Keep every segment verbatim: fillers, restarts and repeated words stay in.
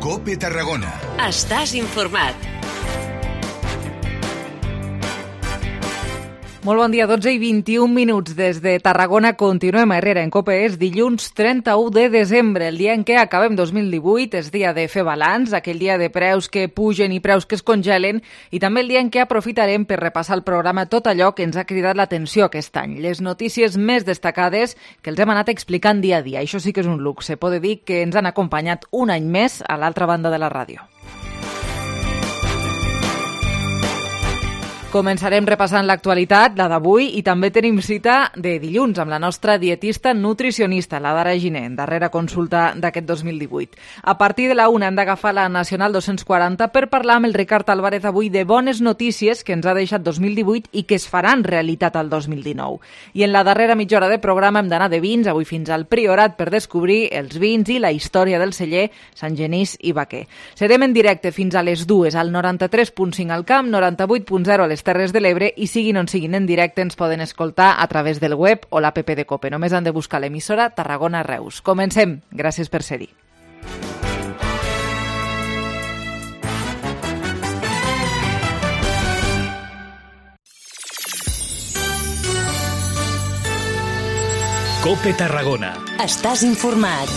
COPE Tarragona. Estàs informat. Molt bon dia, dotze i vint-i-un minuts des de Tarragona. Continuem a Herrera en COPE. És dilluns trenta-u de desembre, el dia en què acabem dos mil divuit. És dia de fer balanç, aquell dia de preus que pugen i preus que es congelen, i també el dia en què aprofitarem per repassar el programa tot allò que ens ha cridat l'atenció aquest any. Les notícies més destacades que els hem anat explicant dia a dia. Això sí que és un luxe. Poder dir que ens han acompanyat un any més a l'altra banda de la ràdio. Començarem repassant l'actualitat, la d'avui, i també tenim cita de dilluns amb la nostra dietista nutricionista, la Dara Giner, darrera consulta d'aquest dos mil divuit. A partir de la una hem d'agafar la Nacional dos-cents quaranta per parlar amb el Ricard Álvarez avui de bones notícies que ens ha deixat dos mil divuit i que es faran realitat al dos mil dinou. I en la darrera mitja hora de programa hem d'anar de vins, avui fins al Priorat, per descobrir els vins i la història del celler Sant Genís i Vaquer. Serem en directe fins a les dues al noranta-tres punt cinc al Camp, noranta-vuit punt zero a les Terres de l'Ebre, i siguin on siguin en directe ens poden escoltar a través del web o l'app de COPE. Només han de buscar l'emissora Tarragona Reus. Comencem. Gràcies per ser-hi. COPE Tarragona. Estàs informat.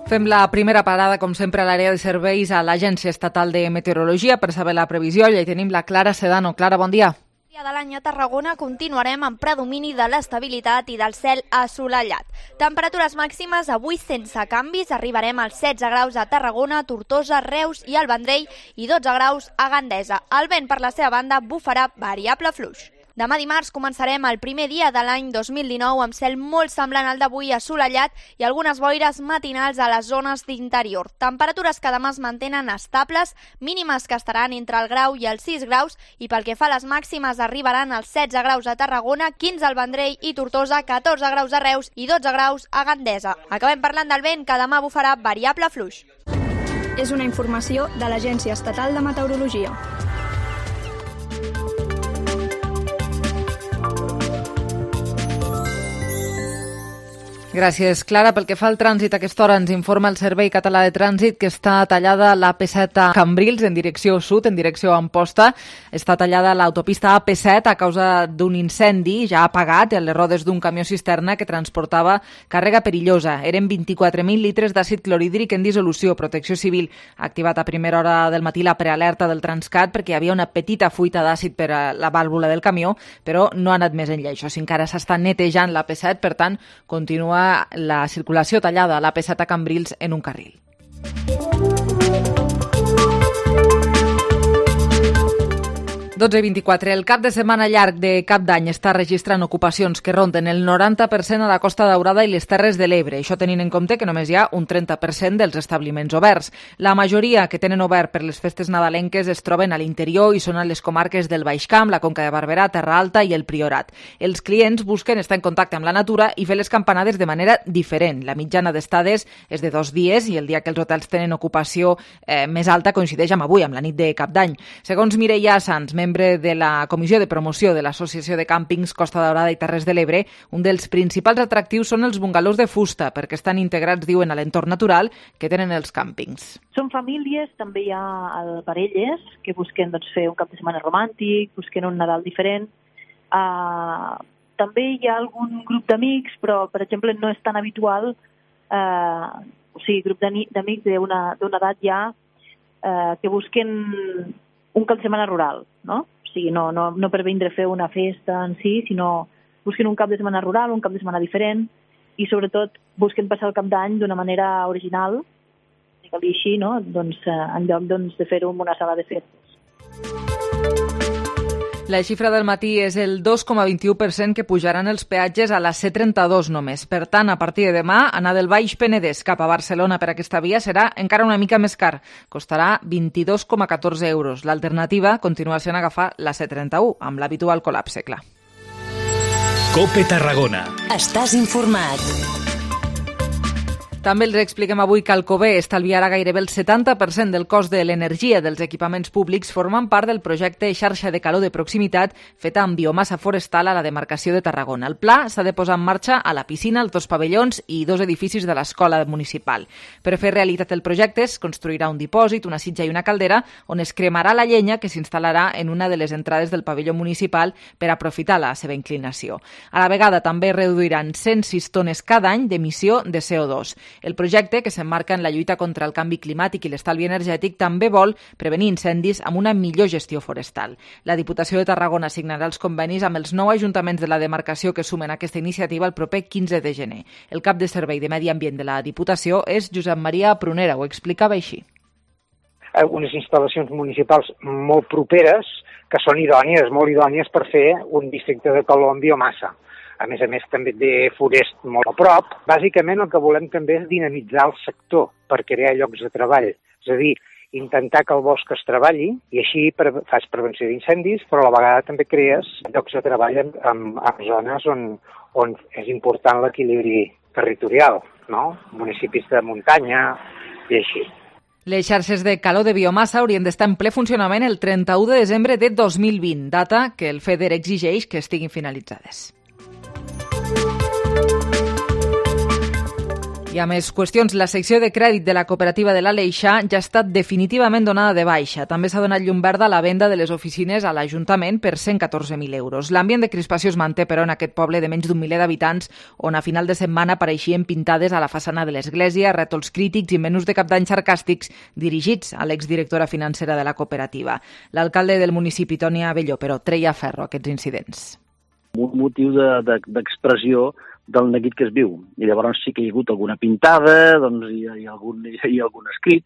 Fem la primera parada, com sempre, a l'àrea de serveis a l'Agència Estatal de Meteorologia per saber la previsió. Allà hi tenim la Clara Sedano. Clara, bon dia. De l'any a Tarragona continuarem amb predomini de l'estabilitat i del cel assolellat. Temperatures màximes avui sense canvis, arribarem als setze graus a Tarragona, Tortosa, Reus i el Vendrell i dotze graus a Gandesa. El vent, per la seva banda, bufarà variable fluix. Demà dimarts començarem el primer dia de l'any dos mil dinou amb cel molt semblant al d'avui, assolellat i algunes boires matinals a les zones d'interior. Temperatures que demà es mantenen estables, mínimes que estaran entre el grau i els sis graus, i pel que fa a les màximes arribaran als setze graus a Tarragona, quinze al Vendrell i Tortosa, catorze graus a Reus i dotze graus a Gandesa. Acabem parlant del vent, que demà bufarà variable fluix. És una informació de l'Agència Estatal de Meteorologia. Gràcies, Clara. Pel que fa al trànsit, a aquesta hora ens informa el Servei Català de Trànsit que està tallada l'A P set a Cambrils en direcció sud, en direcció a Amposta. Està tallada l'autopista A P set a causa d'un incendi ja apagat a les rodes d'un camió cisterna que transportava càrrega perillosa. Eren vint-i-quatre mil litres d'àcid clorhídric en dissolució. Protecció Civil ha activat a primera hora del matí la prealerta del Transcat perquè hi havia una petita fuita d'àcid per a la vàlvula del camió, però no ha anat més enllà. Això sí, encara s'està netejant l'A P set, per tant, continua la circulació tallada a l'A P set a Cambrils en un carril. dotze i vint-i-quatre. El cap de setmana llarg de Cap d'Any està registrant ocupacions que ronden el noranta per cent a la Costa Daurada i les Terres de l'Ebre. Això tenint en compte que només hi ha un trenta per cent dels establiments oberts. La majoria que tenen obert per les festes nadalenques es troben a l'interior i són a les comarques del Baix Camp, la Conca de Barberà, Terra Alta i el Priorat. Els clients busquen estar en contacte amb la natura i fer les campanades de manera diferent. La mitjana d'estades és de dos dies i el dia que els hotels tenen ocupació eh, més alta coincideix amb avui, amb la nit de Cap d'Any. Segons Mireia Sanz, membre de la Comissió de Promoció de l'Associació de Càmpings Costa Daurada i Terres de l'Ebre, un dels principals atractius són els bungalows de fusta, perquè estan integrats, diuen, a l'entorn natural que tenen els càmpings. Són famílies, també hi ha parelles que busquen doncs, fer un cap de setmana romàntic, busquen un Nadal diferent. Uh, també hi ha algun grup d'amics, però, per exemple, no és tan habitual, uh, o sigui, grup d'amics d'una edat ja uh, que busquen un cap de setmana rural, no? O sigui, no, no, no per vindre a fer una festa en si, sinó busquen un cap de setmana rural, un cap de setmana diferent, i sobretot busquen passar el cap d'any d'una manera original, si cal dir així, no? Doncs, eh, en lloc doncs, de fer-ho en una sala de festes. La xifra del matí és el dos coma vint-i-u per cent que pujaran els peatges a la C trenta-dos només. Per tant, a partir de demà, anar del Baix Penedès cap a Barcelona per aquesta via serà encara una mica més car. Costarà vint-i-dos coma catorze euros. L'alternativa continua sent agafar la C trenta-u, amb l'habitual col·lapse, clar. COPE Tarragona. Estàs informat. També els expliquem avui que Alcover estalviarà gairebé el setanta per cent del cost de l'energia dels equipaments públics formant part del projecte Xarxa de Calor de Proximitat feta amb biomassa forestal a la demarcació de Tarragona. El pla s'ha de posar en marxa a la piscina, els dos pavellons i dos edificis de l'escola municipal. Per fer realitat el projecte es construirà un dipòsit, una sitja i una caldera on es cremarà la llenya que s'instal·larà en una de les entrades del pavelló municipal per aprofitar la seva inclinació. A la vegada també reduiran cent sis tones cada any d'emissió de C O dos. El projecte, que s'emmarca en la lluita contra el canvi climàtic i l'estalvi energètic, també vol prevenir incendis amb una millor gestió forestal. La Diputació de Tarragona signarà els convenis amb els nou ajuntaments de la demarcació que sumen aquesta iniciativa el proper quinze de gener. El cap de Servei de Medi Ambient de la Diputació és Josep Maria Prunera, ho explicava així. Unes instal·lacions municipals molt properes que són idònies, molt idònies per fer un districte de calor amb biomassa. A més a més, també té forest molt a prop. Bàsicament, el que volem també és dinamitzar el sector per crear llocs de treball. És a dir, intentar que el bosc es treballi i així fas prevenció d'incendis, però a la vegada també crees llocs de treball en, en, en zones on, on és important l'equilibri territorial, no? Municipis de muntanya i així. Les xarxes de calor de biomassa haurien d'estar en ple funcionament el trenta-u de desembre de dos mil vint, data que el FEDER exigeix que estiguin finalitzades. I a més qüestions, la secció de crèdit de la cooperativa de l'Aleixar ja ha estat definitivament donada de baixa. També s'ha donat llum verda a la venda de les oficines a l'Ajuntament per cent catorze mil euros. L'ambient de crispació es manté, però, en aquest poble de menys d'un miler d'habitants, on a final de setmana apareixien pintades a la façana de l'església, rètols crítics i menús de cap d'any sarcàstics dirigits a l'exdirectora financera de la cooperativa. L'alcalde del municipi, Toni Abelló, però treia ferro a aquests incidents. Un motiu de, de, d'expressió del neguit que es viu. I llavors sí que hi ha hagut alguna pintada, doncs hi ha, hi ha, algun, hi ha algun escrit,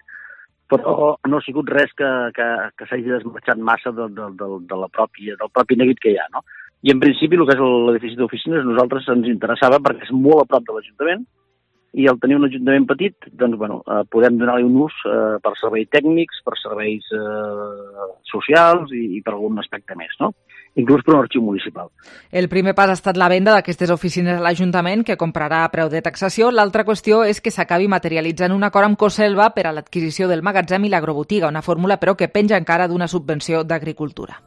però no ha sigut res que, que, que s'hagi desmarxat massa de, de, de, de la pròpia, del propi neguit que hi ha, no? I en principi el que és l'edifici d'oficines a nosaltres ens interessava perquè és molt a prop de l'Ajuntament i al tenir un ajuntament petit, doncs, bueno, eh, podem donar-li un ús eh, per serveis tècnics, per serveis eh, socials i, i per algun aspecte més, no? Inclús per un arxiu municipal. El primer pas ha estat la venda d'aquestes oficines a l'Ajuntament, que comprarà a preu de taxació. L'altra qüestió és que s'acabi materialitzant un acord amb Coselva per a l'adquisició del magatzem i l'agrobotiga, una fórmula, però, que penja encara d'una subvenció d'agricultura.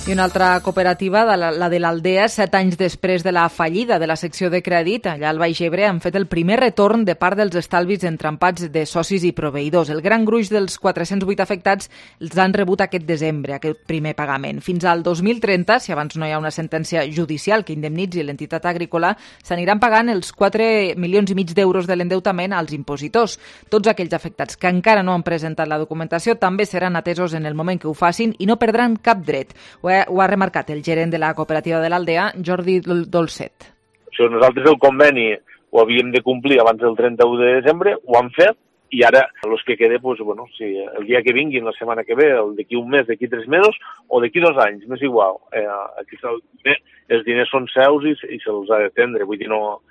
I una altra cooperativa, la de l'Aldea, set anys després de la fallida de la secció de crèdit, allà al Baix Ebre, han fet el primer retorn de part dels estalvis entrampats de socis i proveïdors. El gran gruix dels quatre-cents vuit afectats els han rebut aquest desembre, aquest primer pagament. Fins al dos mil trenta, si abans no hi ha una sentència judicial que indemnitzi l'entitat agrícola, s'aniran pagant els quatre milions i mig d'euros de l'endeutament als impositors. Tots aquells afectats que encara no han presentat la documentació també seran atesos en el moment que ho facin i no perdran cap dret. Ho ha Ho ha remarcat el gerent de la cooperativa de l'Aldea, Jordi Dolcet. O sigui, nosaltres el conveni ho havíem de complir abans del trenta-u de desembre, ho han fet, i ara els que quede, pues, bueno, si el dia que vinguin, la setmana que ve, el d'aquí un mes, d'aquí tres mesos, o d'aquí dos anys, m'és igual. Eh, aquí els diners són seus i, i se'ls ha d'atendre, vull dir, no,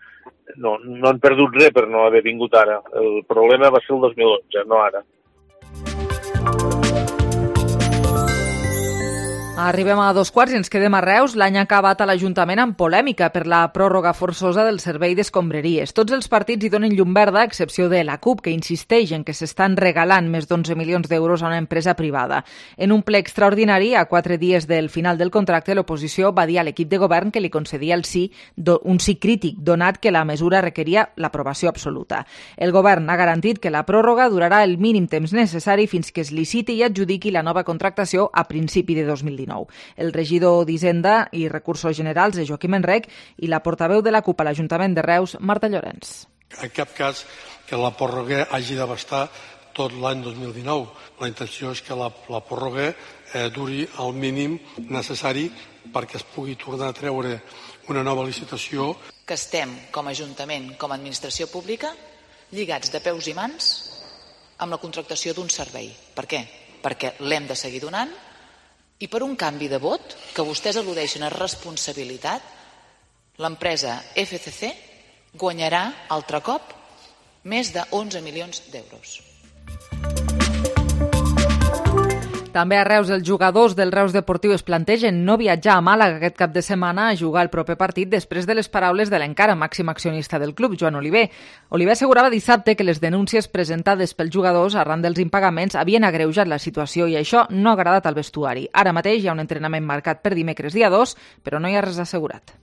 no, no han perdut res per no haver vingut ara. El problema va ser el dos mil onze, no ara. Arribem a dos quarts i ens quedem a Reus. L'any ha acabat a l'Ajuntament amb polèmica per la pròrroga forçosa del servei d'escombraries. Tots els partits hi donen llum verda, a excepció de la CUP, que insisteix en que s'estan regalant més d'onze milions d'euros a una empresa privada. En un ple extraordinari, a quatre dies del final del contracte, l'oposició va dir a l'equip de govern que li concedia el sí, un sí crític, donat que la mesura requeria l'aprovació absoluta. El govern ha garantit que la pròrroga durarà el mínim temps necessari fins que es liciti i adjudiqui la nova contractació a principi de dos mil dinou. El regidor d'Hisenda i Recursos Generals és Joaquim Enrec i la portaveu de la CUP a l'Ajuntament de Reus, Marta Llorenç. En cap cas que la pròrroga hagi d'abastar tot l'any dos mil dinou. La intenció és que la, la pròrroga eh, duri el mínim necessari perquè es pugui tornar a treure una nova licitació. Que estem, com a Ajuntament, com a administració pública, lligats de peus i mans amb la contractació d'un servei. Per què? Perquè l'hem de seguir donant. I per un canvi de vot, que vostès al·ludeixen a responsabilitat, l'empresa F C C guanyarà altre cop més de onze milions d'euros. També a Reus, els jugadors del Reus Deportiu es plantegen no viatjar a Màlaga aquest cap de setmana a jugar el proper partit després de les paraules de l'encara màxim accionista del club, Joan Oliver. Oliver assegurava dissabte que les denúncies presentades pels jugadors arran dels impagaments havien agreujat la situació i això no ha agradat al vestuari. Ara mateix hi ha un entrenament marcat per dimecres dia dos, però no hi ha res assegurat.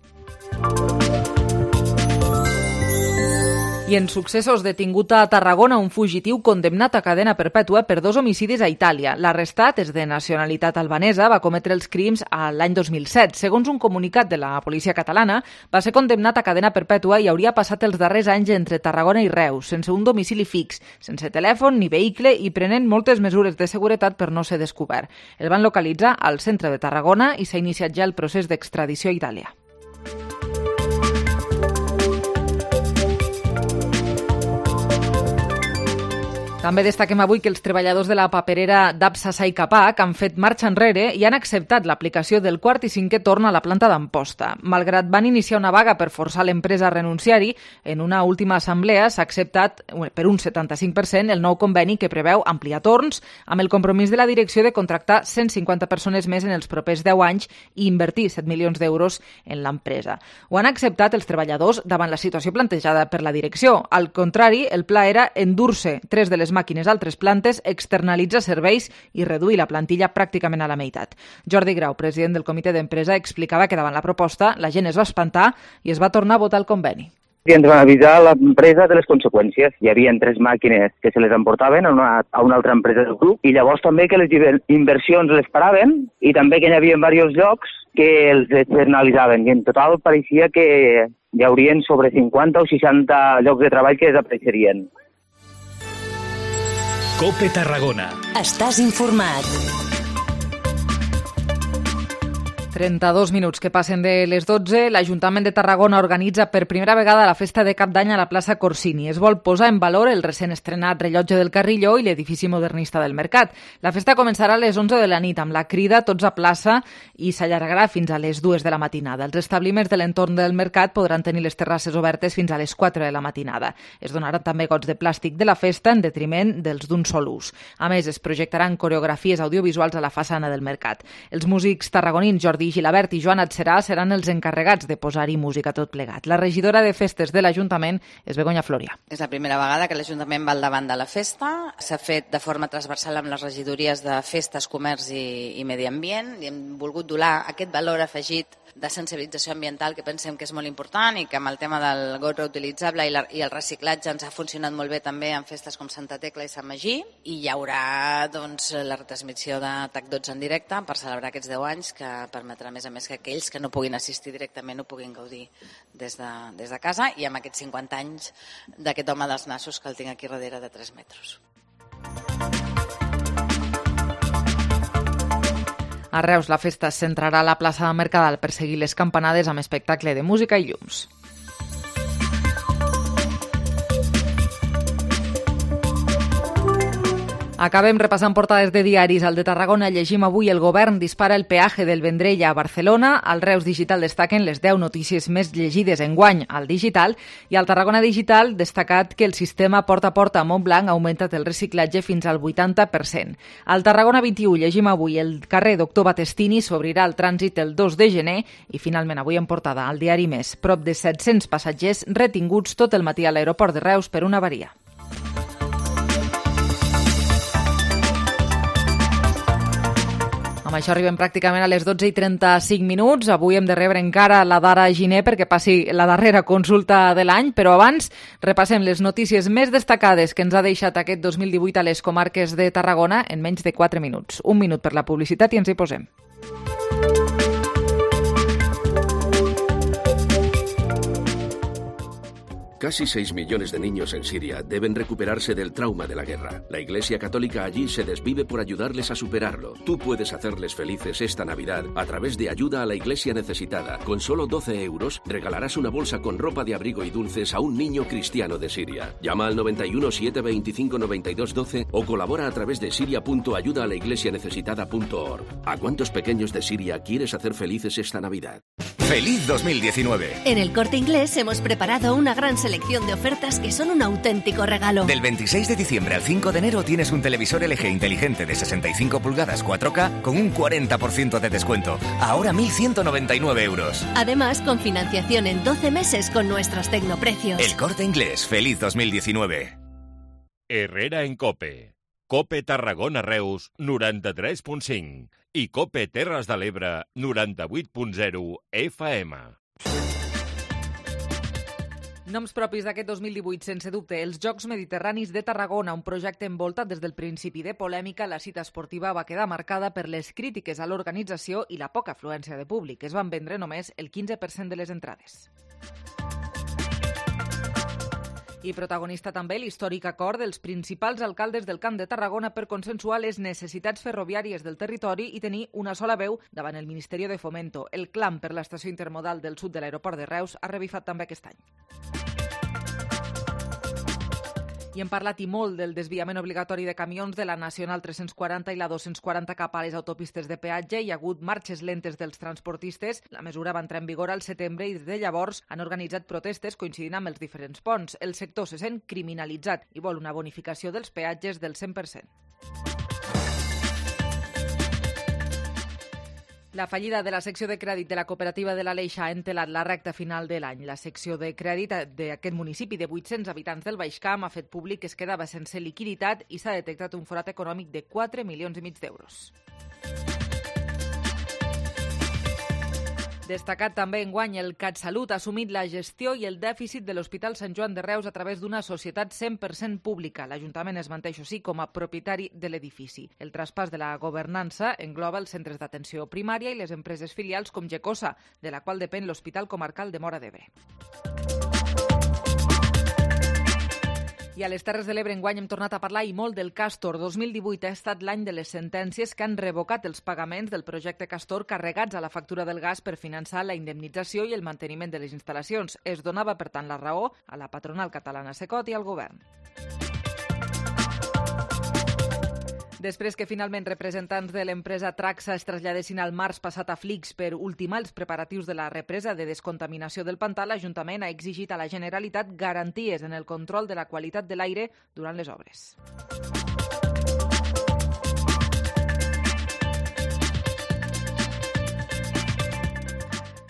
I en successos, detingut a Tarragona un fugitiu condemnat a cadena perpètua per dos homicidis a Itàlia. L'arrestat és de nacionalitat albanesa, va cometre els crims l'any dos mil set. Segons un comunicat de la policia catalana, va ser condemnat a cadena perpètua i hauria passat els darrers anys entre Tarragona i Reus, sense un domicili fix, sense telèfon ni vehicle i prenent moltes mesures de seguretat per no ser descobert. El van localitzar al centre de Tarragona i s'ha iniciat ja el procés d'extradició a Itàlia. També destaquem avui que els treballadors de la paperera d'Apsa Sai Capac han fet marxa enrere i han acceptat l'aplicació del quart i cinquè torn a la planta d'Amposta. Malgrat van iniciar una vaga per forçar l'empresa a renunciar-hi, en una última assemblea s'ha acceptat per un setanta-cinc per cent el nou conveni que preveu ampliar torns amb el compromís de la direcció de contractar cent cinquanta persones més en els propers deu anys i invertir set milions d'euros en l'empresa. Ho han acceptat els treballadors davant la situació plantejada per la direcció. Al contrari, el pla era endur-se tres de les màquines a altres plantes, externalitzar serveis i reduir la plantilla pràcticament a la meitat. Jordi Grau, president del comitè d'empresa, explicava que davant la proposta la gent es va espantar i es va tornar a votar el conveni. I ens van avisar l'empresa de les conseqüències. Hi havia tres màquines que se les emportaven a una, a una altra empresa del grup i llavors també que les inversions les paraven i també que hi havia diversos llocs que els externalitzaven i en total pareixia que hi haurien sobre cinquanta o seixanta llocs de treball que desapareixerien. Cope Tarragona. Estàs informat. trenta-dos minuts que passen de les dotze. L'Ajuntament de Tarragona organitza per primera vegada la festa de Cap d'Any a la plaça Corsini. Es vol posar en valor el recent estrenat rellotge del Carrilló i l'edifici modernista del Mercat. La festa començarà a les onze de la nit amb la crida Tots a plaça i s'allargarà fins a les dues de la matinada. Els establiments de l'entorn del Mercat podran tenir les terrasses obertes fins a les quatre de la matinada. Es donaran també gots de plàstic de la festa en detriment dels d'un sol ús. A més, es projectaran coreografies audiovisuals a la façana del Mercat. Els músics tarragonins Jordi Gilabert i Joan Adserà seran els encarregats de posar-hi música tot plegat. La regidora de festes de l'Ajuntament és Begoña Floria. És la primera vegada que l'Ajuntament va al davant de la festa. S'ha fet de forma transversal amb les regidories de festes, comerç i, i medi ambient i hem volgut donar aquest valor afegit de sensibilització ambiental que pensem que és molt important i que amb el tema del got reutilitzable i, la, i el reciclatge ens ha funcionat molt bé també en festes com Santa Tecla i Sant Magí i hi haurà doncs, la retransmissió de T A C dotze en directe per celebrar aquests deu anys que permetrà a més a més que aquells que no puguin assistir directament ho puguin gaudir des de, des de casa i amb aquests cinquanta anys d'aquest home dels nassos que el tinc aquí darrere de tres metres. A Reus, la festa es centrarà a la plaça de Mercadal per seguir les campanades amb espectacle de música i llums. Acabem repassant portades de diaris. Al de Tarragona llegim avui: el govern dispara el peatge del Vendrell a Barcelona. Al Reus Digital destaquen les deu notícies més llegides enguany al digital i al Tarragona Digital destacat que el sistema porta a porta a Montblanc ha augmentat el reciclatge fins al vuitanta per cent. Al Tarragona vint-i-u llegim avui: el carrer Doctor Batestini s'obrirà al trànsit el dos de gener i finalment avui en portada al diari Més. Prop de set-cents passatgers retinguts tot el matí a l'aeroport de Reus per una avaria. Amb això arribem pràcticament a les dotze i trenta-cinc minuts. Avui hem de rebre encara la Dara Giner perquè passi la darrera consulta de l'any, però abans repassem les notícies més destacades que ens ha deixat aquest dos mil divuit a les comarques de Tarragona en menys de quatre minuts. Un minut per la publicitat i ens hi posem. Casi seis millones de niños en Siria deben recuperarse del trauma de la guerra. La Iglesia Católica allí se desvive por ayudarles a superarlo. Tú puedes hacerles felices esta Navidad a través de Ayuda a la Iglesia Necesitada. Con solo doce euros regalarás una bolsa con ropa de abrigo y dulces a un niño cristiano de Siria. Llama al noventa y uno, siete veinticinco, noventa y dos doce o colabora a través de siria punto ayuda a la iglesia necesitada punto org. ¿A cuántos pequeños de Siria quieres hacer felices esta Navidad? ¡Feliz dos mil diecinueve! En El Corte Inglés hemos preparado una gran selección selección de ofertas que son un auténtico regalo. Del veintiséis de diciembre al cinco de enero tienes un televisor L G inteligente de sesenta y cinco pulgadas cuatro K con un cuarenta por ciento de descuento. Ahora mil ciento noventa y nueve euros. Además, con financiación en doce meses con nuestros tecnoprecios. El Corte Inglés. Feliz dos mil diecinueve. Herrera en COPE. COPE Tarragona Reus noranta-tres punt cinc i COPE Terres de l'Ebre noranta-vuit punt zero F M. Noms propis d'aquest dos mil divuit, sense dubte, els Jocs Mediterranis de Tarragona, un projecte envoltat des del principi de polèmica. La cita esportiva va quedar marcada per les crítiques a l'organització i la poca afluència de públic. Es van vendre només el quinze per cent de les entrades. I protagonista també l'històric acord dels principals alcaldes del Camp de Tarragona per consensuar les necessitats ferroviàries del territori i tenir una sola veu davant el Ministeri de Fomento. El clam per l'estació intermodal del sud de l'aeroport de Reus ha revifat també aquest any. I hem parlat i molt del desviament obligatori de camions de la Nacional tres-cents quaranta i la dos-cents quaranta cap a les autopistes de peatge. Hi ha hagut marxes lentes dels transportistes. La mesura va entrar en vigor al setembre i des de llavors han organitzat protestes coincidint amb els diferents ponts. El sector se sent criminalitzat i vol una bonificació dels peatges del cent per cent. La fallida de la secció de crèdit de la cooperativa de l'Aleix ha entelat la recta final de l'any. La secció de crèdit d'aquest municipi de vuit-cents habitants del Baix Camp ha fet públic que es quedava sense liquiditat i s'ha detectat un forat econòmic de quatre milions i mig d'euros. Destacat també enguany, el CatSalut ha assumit la gestió i el dèficit de l'Hospital Sant Joan de Reus a través d'una societat cent per cent pública. L'Ajuntament es manté, això sí, com a propietari de l'edifici. El traspàs de la governança engloba els centres d'atenció primària i les empreses filials com Gecosa, de la qual depèn l'Hospital Comarcal de Móra d'Ebre. I a les Terres de l'Ebre enguany hem tornat a parlar i molt del Castor. dos mil divuit ha estat l'any de les sentències que han revocat els pagaments del projecte Castor carregats a la factura del gas per finançar la indemnització i el manteniment de les instal·lacions. Es donava, per tant, la raó a la patronal catalana Secot i al govern. Després que finalment representants de l'empresa Traxa es traslladessin al març passat a Flix per ultimar els preparatius de la represa de descontaminació del pantà, l'Ajuntament ha exigit a la Generalitat garanties en el control de la qualitat de l'aire durant les obres.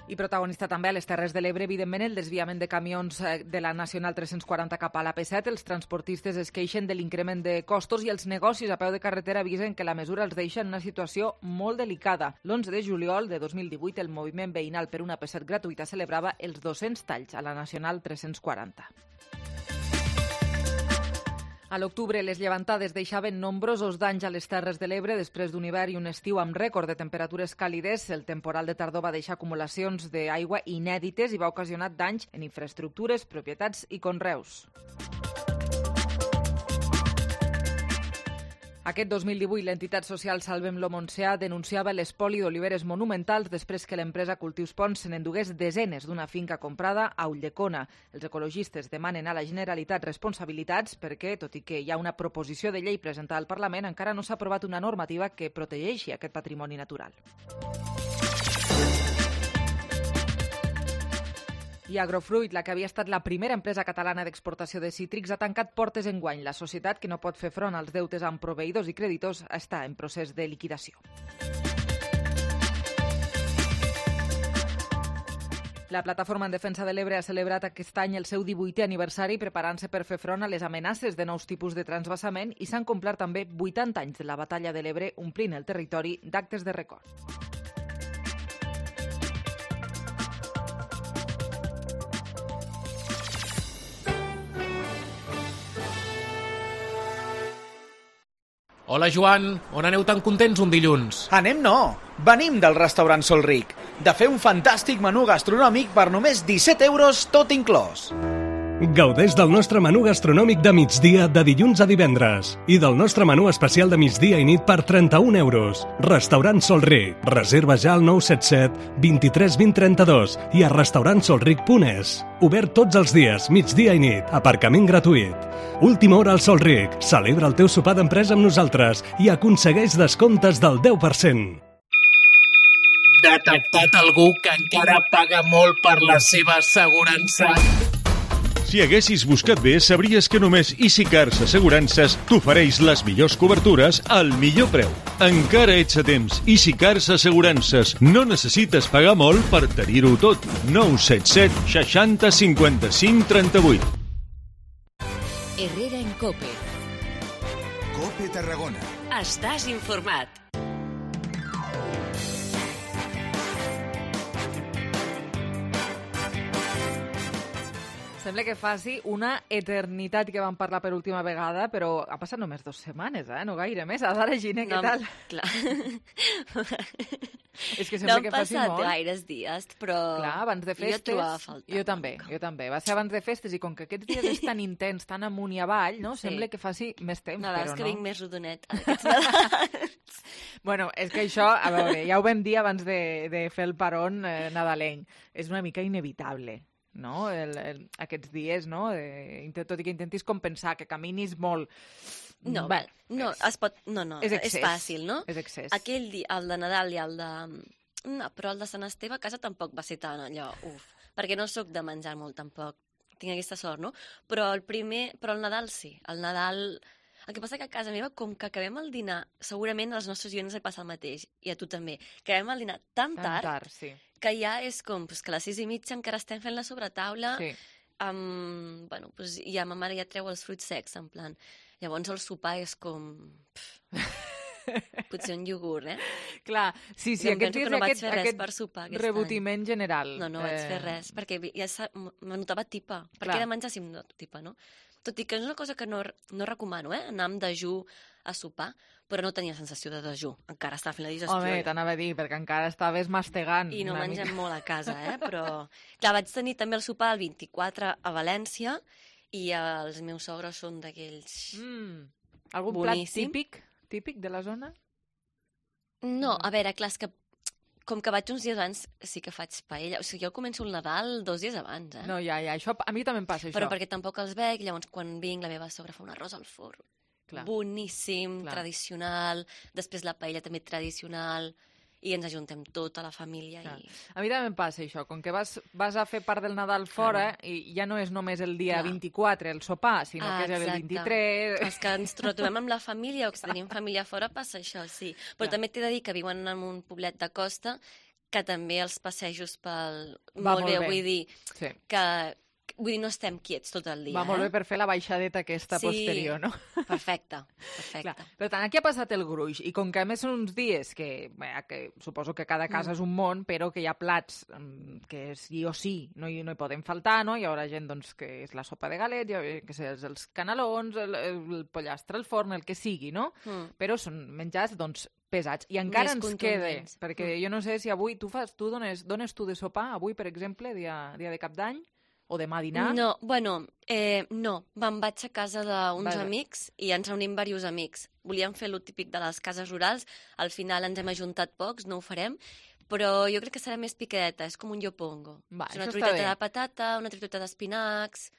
I protagonista també a les Terres de l'Ebre, evidentment, el desviament de camions de la Nacional tres-cents quaranta cap a l'A P set. Els transportistes es queixen de l'increment de costos i els negocis a peu de carretera avisen que la mesura els deixa en una situació molt delicada. L'onze de juliol de dos mil divuit, el moviment veïnal per una A P set gratuïta celebrava els dos-cents talls a la Nacional tres-cents quaranta. A l'octubre, les llevantades deixaven nombrosos danys a les Terres de l'Ebre després d'un hivern i un estiu amb rècord de temperatures càlides. El temporal de tardor va deixar acumulacions d'aigua inèdites i va ocasionar danys en infraestructures, propietats i conreus. Aquest dos mil divuit, l'entitat social Salvem-lo Montsià denunciava l'espoli d'oliveres monumentals després que l'empresa Cultius Pons se n'endugués desenes d'una finca comprada a Ulldecona. Els ecologistes demanen a la Generalitat responsabilitats perquè, tot i que hi ha una proposició de llei presentada al Parlament, encara no s'ha aprovat una normativa que protegeixi aquest patrimoni natural. I Agrofruit, la que havia estat la primera empresa catalana d'exportació de cítrics, ha tancat portes enguany. La societat, que no pot fer front als deutes amb proveïdors i creditors, està en procés de liquidació. La Plataforma en Defensa de l'Ebre ha celebrat aquest any el seu divuitè aniversari preparant-se per fer front a les amenaces de nous tipus de transvasament i s'han complert també vuitanta anys de la batalla de l'Ebre, omplint el territori d'actes de record. Hola, Joan. On aneu tan contents un dilluns? Anem no. Venim del restaurant Sol Ric, de fer un fantàstic menú gastronòmic per només disset euros tot inclòs. Gaudeix del nostre menú gastronòmic de migdia de dilluns a divendres i del nostre menú especial de migdia i nit per trenta-un euros. Restaurant Sol Ric. Reserva ja al nou set set, vint-i-tres vint trenta-dos i a restaurant solric punt es. Obert tots els dies, migdia i nit, aparcament gratuït. Última hora al Sol Ric. Celebra el teu sopar d'empresa amb nosaltres i aconsegueix descomptes del deu per cent. Detectat algú que encara paga molt per la seva assegurança? Si haguessis buscat bé, sabries que només EasyCars Assegurances t'ofereix les millors cobertures al millor preu. Encara ets a temps. EasyCars Assegurances. No necessites pagar molt per tenir-ho tot. nou set set seixanta cinquanta-cinc trenta-vuit. Herrera en Cope. Cope Tarragona. Estàs informat. Sembla que faci una eternitat que vam parlar per última vegada, però ha passat només dues setmanes, eh? No gaire més. Ara, Gina, què No, tal? clar. És que No sembla han que faci passat molt. gaires dies, però Clar, abans de jo festes... trobava a faltar. Jo també, jo també. Va ser abans de festes i com que aquests dies és tan intens, tan amunt i avall, no? Sí. Sembla que faci més temps, Nadals però que no. vinc més rodonet aquests Nadals. Bueno, és que això, a veure, ja ho vam dir abans de, de fer el paron eh, nadalenc. És una mica inevitable, no? El, el, aquests dies, no? Eh, tot i que intentis compensar, que caminis molt... No, Bé, no, es pot... No, no, és és, excés. fàcil, no? És excés. Aquell dia, el de Nadal i el de... No, però el de Sant Esteve a casa tampoc va ser tan allò, uf, perquè no sóc de menjar molt tampoc, tinc aquesta sort, no? Però el primer, però el Nadal sí, el Nadal... El que passa que a casa meva, com que acabem el dinar, segurament als nostres oients li passa el mateix, i a tu també, acabem el dinar tan Tan tard, tard, sí. que ja és com pues, que a les sis i mitja encara estem fent la sobretaula, Sí. amb, bueno, pues, ja ma mare ja treu els fruits secs, en plan. Llavors el sopar és com... Potser un iogurt, eh? Clar, sí, sí, I em aquests penso dies que no vaig aquest- fer res aquest per sopar aquest rebotiment any. general. No, no vaig eh, fer res, perquè ja sa- m- me notava tipa. Per Clar. què he de menjar si em noto tipa, no? Tot i que és una cosa que no, no recomano, eh? Anar amb dejú a sopar, però no tenia sensació de dejú. Encara estava fent la digestió. Home, allò. t'anava a dir, perquè encara estaves mastegant. I no una mengem mica. molt a casa, eh? Però, clar, vaig tenir també el sopar el vint-i-quatre a València i els meus sogres són d'aquells... Mm. Algun Boníssim. plat típic, típic de la zona? No, a veure, clar, és que com que vaig uns dies abans, sí que faig paella. O sigui, jo començo el Nadal dos dies abans, eh? No, ja, ja, això a mi també em passa, això. Però perquè tampoc els veig, llavors quan vinc la meva sogra fa un arròs al forn. Clar. Boníssim, Clar. tradicional, després la paella també tradicional, i ens ajuntem tota la família. Clar. I... A mi també em passa això, com que vas, vas a fer part del Nadal fora i ja no és només el dia Clar. vint-i-quatre el sopar, sinó Ah, que és el exacte. vint-i-tres... Els que ens trobem amb la família o que si tenim família fora passa això, sí. Però Clar. també t'he de dir que viuen en un poblet de costa que també els passejos pel... Va molt molt bé, bé. vull dir Sí. que... Vull dir, no estem quiets tot el dia, Va molt eh? bé per fer la baixadeta aquesta Sí. posterior, no? Perfecte, perfecte. Clar. Per tant, aquí ha passat el gruix, i com que a més són uns dies que, bé, que suposo que cada casa Mm. és un món, però que hi ha plats mm, que sí o sí no hi, no hi poden faltar, no? Hi haurà gent doncs, que és la sopa de galets, hi haurà, que sé, els, els canelons, el, el pollastre al forn, el que sigui, no? Mm. Però són menjars, doncs, pesats. I encara Més ens queda, contundents. perquè Mm. jo no sé si avui tu fas, tu dones, dones tu de sopar, avui, per exemple, dia, dia de cap d'any, o demà a dinar? No, bueno, eh, no. Me'n vaig a casa d'uns Vaja. amics i ens reunim diversos amics. Volíem fer lo típic de les cases rurals, al final ens hem ajuntat pocs, no ho farem, però jo crec que serà més picadeta, és com un llopongo. Va, és una això està truiteta bé. de patata, una truiteta d'espinacs...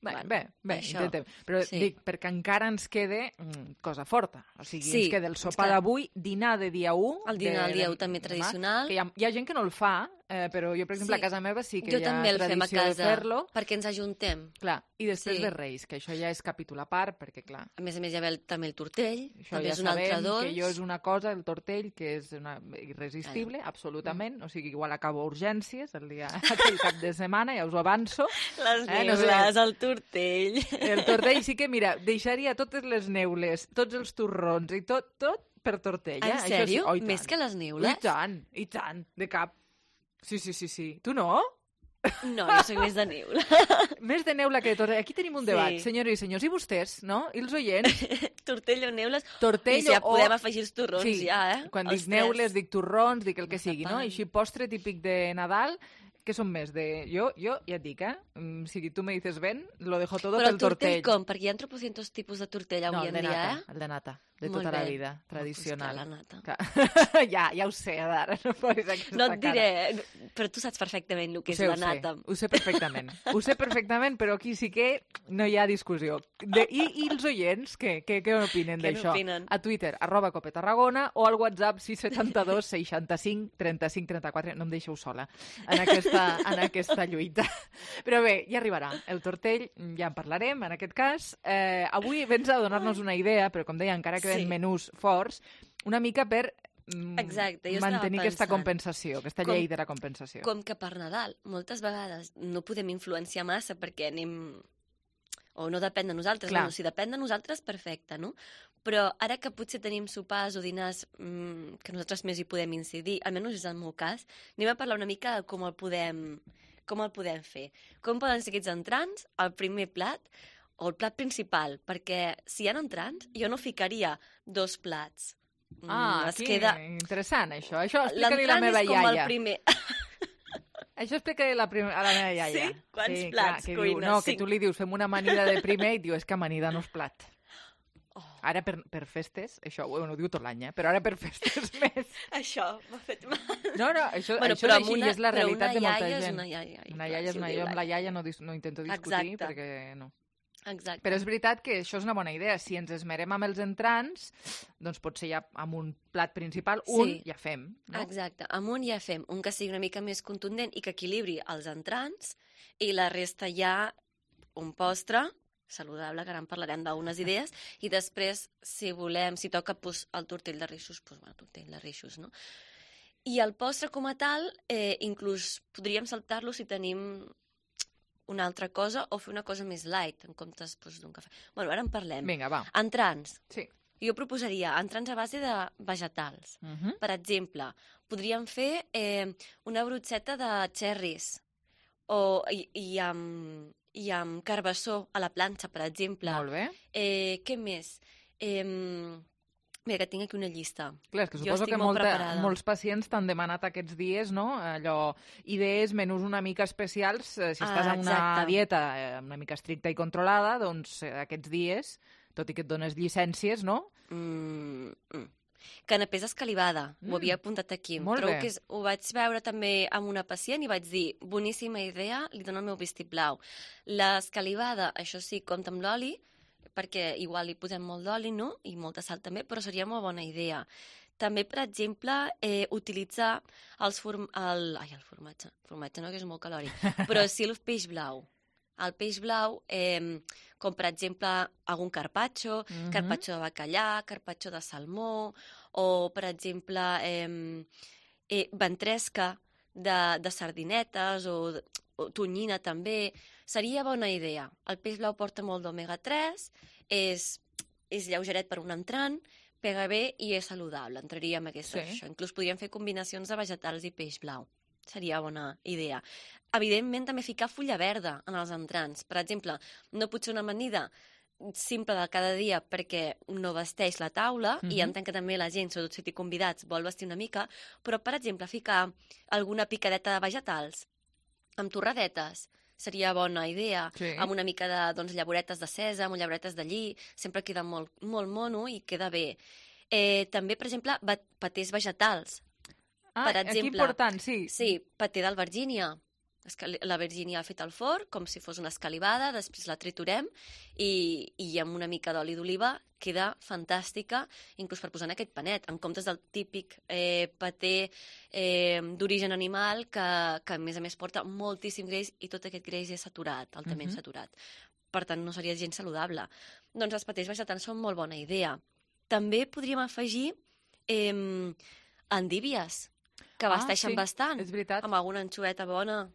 Bé, Bueno, bé, bé, això. intentem. Però Sí. dic, perquè encara ens queda mm, cosa forta. O sigui, Sí, ens queda el sopar clar. d'avui, dinar de dia u... El dinar del de- dia u també demà, tradicional. Que hi ha, hi ha gent que no el fa, eh, però jo, per exemple, Sí. a casa meva sí que jo hi ha també el fem a tradició de casa, fer-lo. perquè ens ajuntem. Clar, i després Sí. de Reis, que això ja és capítol a part, perquè, clar, A més a més, hi ha el, també el tortell, això també ja és un altre sabem dolç. que jo és una cosa, el tortell, que és una, irresistible, Mm. absolutament. O sigui, igual acabo a urgències el dia aquell cap de setmana, ja us ho avanço. Les Eh, no sé. neules, el tortell... El tortell sí que, mira, deixaria totes les neules, tots els torrons i tot, tot per tortell. Eh? En Això sí. sèrio? Oh, i Més tant. que les neules? I tant, i tant, de cap. Sí, sí, sí, sí. Tu no? No, jo soc més de neula. Més de neula que de tortell. Aquí tenim un Sí. debat, senyores i senyors. I vostès, no? I els oients? Tortell o neules? Tortell I si ja o... podem afegir els torrons, sí. ja, eh? Quan Els dic neules, tres. dic torrons, dic el que sigui, no? Mazapán. I així postre típic de Nadal, que són més de... Jo, jo ja et dic, eh? Mm, si tu me dices ven, lo dejo todo Però pel el tortell tortell. com? Perquè hi ha tropocientos tipus de tortell avui No, el en de dia, nata, eh? el de nata, de Molt tota la bé. vida, tradicional. Oh, pues clar, la nata. Que... ja, ja ho sé, Adara, no posis aquesta No et cara. diré, però tu saps perfectament el que Ho és sé, la ho sé, nata. Ho sé perfectament. Ho sé perfectament, però aquí sí que no hi ha discussió. De, i, I els oients, què, què, què opinen Què d'això? n'opinen? A Twitter, arroba Cope Tarragona, o al WhatsApp sis set dos seixanta-cinc trenta-cinc trenta-quatre. No em deixeu sola en aquesta, aquesta, en aquesta lluita. Però bé, ja arribarà. El tortell, ja en parlarem, en aquest cas. Eh, avui vens a donar-nos una idea, però com deia, encara queden Sí. menús forts, una mica per mm, Exacte, jo estava mantenir aquesta pensant, compensació, aquesta com- llei de la compensació. Com que per Nadal moltes vegades no podem influenciar massa perquè anem... o no depèn de nosaltres, Clar. no, si depèn de nosaltres, perfecte, no? Però ara que potser tenim sopars o dinars mmm, que nosaltres més hi podem incidir, almenys és el meu cas, anem a parlar una mica de com el podem, com el podem fer. Com poden ser aquests entrants, el primer plat o el plat principal, perquè si hi ha entrants, jo no ficaria dos plats. Mm, Ah, es aquí, queda... interessant, això. Això explica-li la L'entrant meva és com iaia. el primer. Això explica la prim... a la meva iaia. Sí? Quants clar, plats que cuines? Diu, no, que Cinc. tu li dius, fem una amanida de primer, i diu, és que amanida no és plat. Oh. Ara per, per festes, això bueno, ho diu tot l'any, eh? Però ara per festes més. Això m'ha fet mal. No, no, això, Bueno, això però és amb així, una- i és la però realitat una de molta iaia és gent. una iaia, i Una clar, iaia és si ho una diu iaia, amb la l'aia. iaia no, dis, no intento discutir, Exacte. perquè no. Exacte. Però és veritat que això és una bona idea. Si ens esmerem amb els entrants, doncs potser ja amb un plat principal, un Sí. ja fem. No? Exacte, amb un ja fem un que sigui una mica més contundent i que equilibri els entrants i la resta ja un postre saludable, que ara en parlarem d'unes idees, i després, si volem, si toca pues, el tortell de reixos, doncs, bueno, tortell de reixos, no? I el postre com a tal, eh, inclús podríem saltar-lo si tenim una altra cosa o fer una cosa més light, en comptes doncs, d'un cafè. Bueno, ara en parlem. Vinga, va. Entrants. Sí. Jo proposaria entrants a base de vegetals. Uh -huh. Per exemple, podríem fer eh, una brocheta de cherries o, i, i, amb, i amb carbassó a la planxa, per exemple. Molt bé. Eh, què més? Eh, mira, que tinc aquí una llista. Clar, és que Jo suposo estic que molt molta, preparada. molts pacients t'han demanat aquests dies, no?, allò, idees, menús una mica especials. eh, Si estàs Ah, en una exacte. dieta eh, una mica estricta i controlada, doncs eh, aquests dies, tot i que et dones llicències, no? Mm, mm. Canapés escalivada, mm. ho havia apuntat aquí. Molt Trobo bé. que és, ho vaig veure també amb una pacient i vaig dir, boníssima idea, li dono el meu vistiplau. L'escalivada, això sí, compta amb l'oli, perquè igual li posem molt d'oli, no?, i molta sal també, però seria molt bona idea. També, per exemple, eh, utilitzar els form... el... Ai, el formatge. Formatge no, que és molt calòric. Però sí el peix blau. El peix blau, eh, com per exemple algun carpaccio, Mhm. carpaccio de bacallà, carpaccio de salmó, o per exemple eh, eh, ventresca de, de sardinetes o, o tonyina també. Seria bona idea. El peix blau porta molt d'omega tres, és, és lleugeret per un entrant, pega bé i és saludable. Entraria en aquesta. Sí. Això. Inclús podríem fer combinacions de vegetals i peix blau. Seria bona idea. Evidentment, també ficar fulla verda en els entrants. Per exemple, no pot ser una amanida simple de cada dia perquè no vesteix la taula, Mhm. i entenc que també la gent, sobretot si té convidats, vol vestir una mica, però, per exemple, ficar alguna picadeta de vegetals amb torradetes seria bona idea, Sí. amb una mica de doncs, llavoretes de sèsam o llavoretes de lli, sempre queda molt, molt mono i queda bé. Eh, també, per exemple, va- patés vegetals. Ah, per aquí exemple, important, sí. Sí, paté d'albergínia. Escali- La vergínia fet al forn, com si fos una escalivada, després la triturem i, i amb una mica d'oli d'oliva queda fantàstica, inclús per posar en aquest panet, en comptes del típic eh, paté eh, d'origen animal que, que, a més a més, porta moltíssim greix i tot aquest greix és saturat, altament Mhm. saturat. Per tant, no seria gens saludable. Doncs els patés vegetals són molt bona idea. També podríem afegir eh, endívies, que Ah, abasteixen sí, bastant. és veritat. Amb alguna anxoeta bona.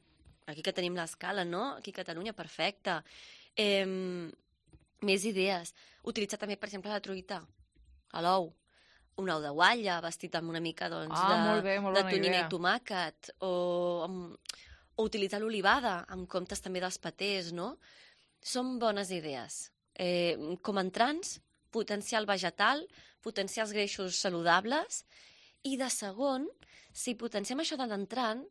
Aquí que tenim l'escala, no? Aquí a Catalunya, perfecte. Eh, més idees. Utilitzar també, per exemple, la truita, a l'ou. Un ou de guatlla, vestit amb una mica doncs, Ah, de, molt bé, molt de bona tonyina idea. i tomàquet. O, amb, o utilitzar l'olivada, en comptes també dels patés, no? Són bones idees. Eh, com a entrants, potenciar el vegetal, potenciar els greixos saludables, i de segon, si potenciem això de l'entrant,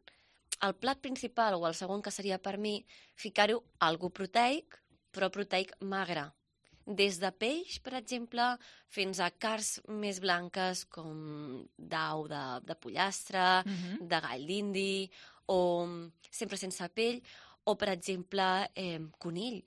el plat principal, o el segon que seria per mi, ficar-ho algo proteic, però proteic magre. Des de peix, per exemple, fins a carns més blanques com d'au de, de pollastre, Mhm. de gall d'indi, o sempre sense pell, o, per exemple, eh, conill.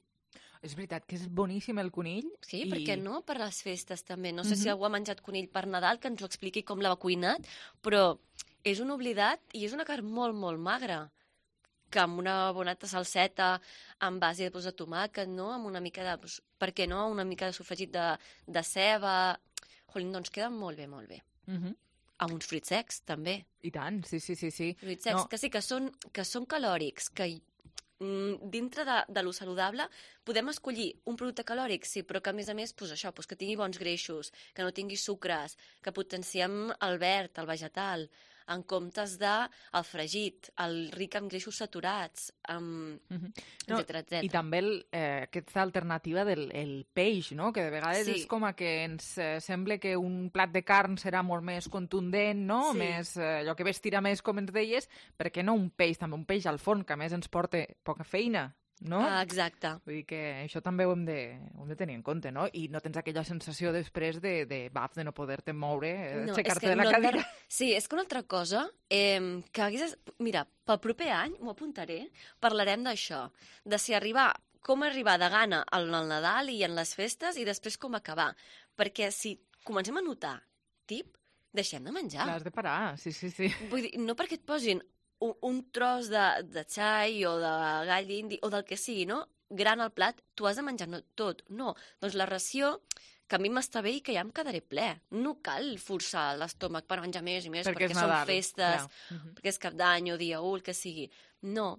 És veritat que és boníssim el conill. Sí, i... per què no? Per les festes també. No sé Mhm. si algú ha menjat conill per Nadal, que ens ho expliqui com l'ha cuinat, però és un oblidat i és una carn molt, molt magra. que amb una boneta salseta amb base doncs, de tomàquet, no? Amb una mica de... Doncs, per què no? Una mica de sofregit de, de ceba... Jolín, doncs queda molt bé, molt bé. Uh-huh. Amb uns fruits secs, també. I tant, sí, sí, sí. sí. Fruits secs, no. que sí, que són, que són calòrics, que mm, dintre de, de lo saludable podem escollir un producte calòric, sí, però que a més a més, pues, això, pues, que tingui bons greixos, que no tingui sucres, que potenciem el verd, el vegetal, en comptes de el fregit, el ric en greixos saturats, amb... Uh-huh. no, etcètera, etcètera. I també el, eh, aquesta alternativa del el peix, no? Que de vegades Sí. és com a que ens eh, sembla que un plat de carn serà molt més contundent, no? Sí. Més, eh, allò que vestirà més, com ens deies, per què no un peix, també un peix al forn, que a més ens porta poca feina, no? Ah, exacte. Vull dir que això també ho hem de, ho hem de tenir en compte, no? I no tens aquella sensació després de, de baf, de no poder-te moure, eh, No, aixecar-te és que de la no hem de- cadira. Sí, és que una altra cosa, eh, que hagués... Mira, pel proper any, m'ho apuntaré, parlarem d'això, de si arribar, com arribar de gana al, al Nadal i en les festes i després com acabar. Perquè si comencem a notar tip, deixem de menjar. L'has de parar, sí, sí, sí. Vull dir, no perquè et posin un, un tros de, de xai o de gall indi o del que sigui, no? Gran al plat, tu has de menjar no, tot. No, doncs la ració, que a mi m'està bé i que ja em quedaré ple. No cal forçar l'estómac per menjar més i més, Perquè perquè, és són Nadal, festes, clar. Mhm. perquè és cap d'any o dia u, el que sigui. No.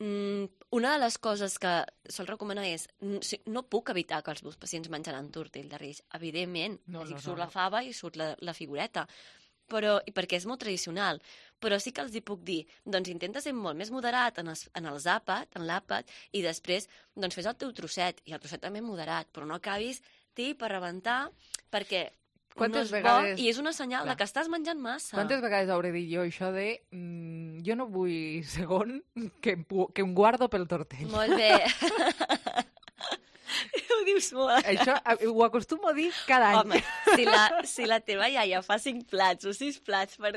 Mm, una de les coses que sol recomanar és n- si- no puc evitar que els meus pacients menjaran tortell de Reis. Evidentment, No, no, no, surt no, la no. fava i surt la, la figureta. Però, i perquè és molt tradicional, però sí que els hi puc dir, doncs intenta ser molt més moderat en, els, en els àpat, en l'àpat, i després doncs fes el teu trosset, i el trosset també moderat, però no acabis tip per rebentar, perquè Quantes no és vegades- bo i és una senyal Clar. de que estàs menjant massa. Quantes vegades hauré dit jo això de mm, jo no vull segon que, em pu- que em guardo pel tortell? Molt bé. Ho dius molt. Això eh, ho acostumo a dir cada any. Home, si la, si la teva iaia fa cinc plats o sis plats per,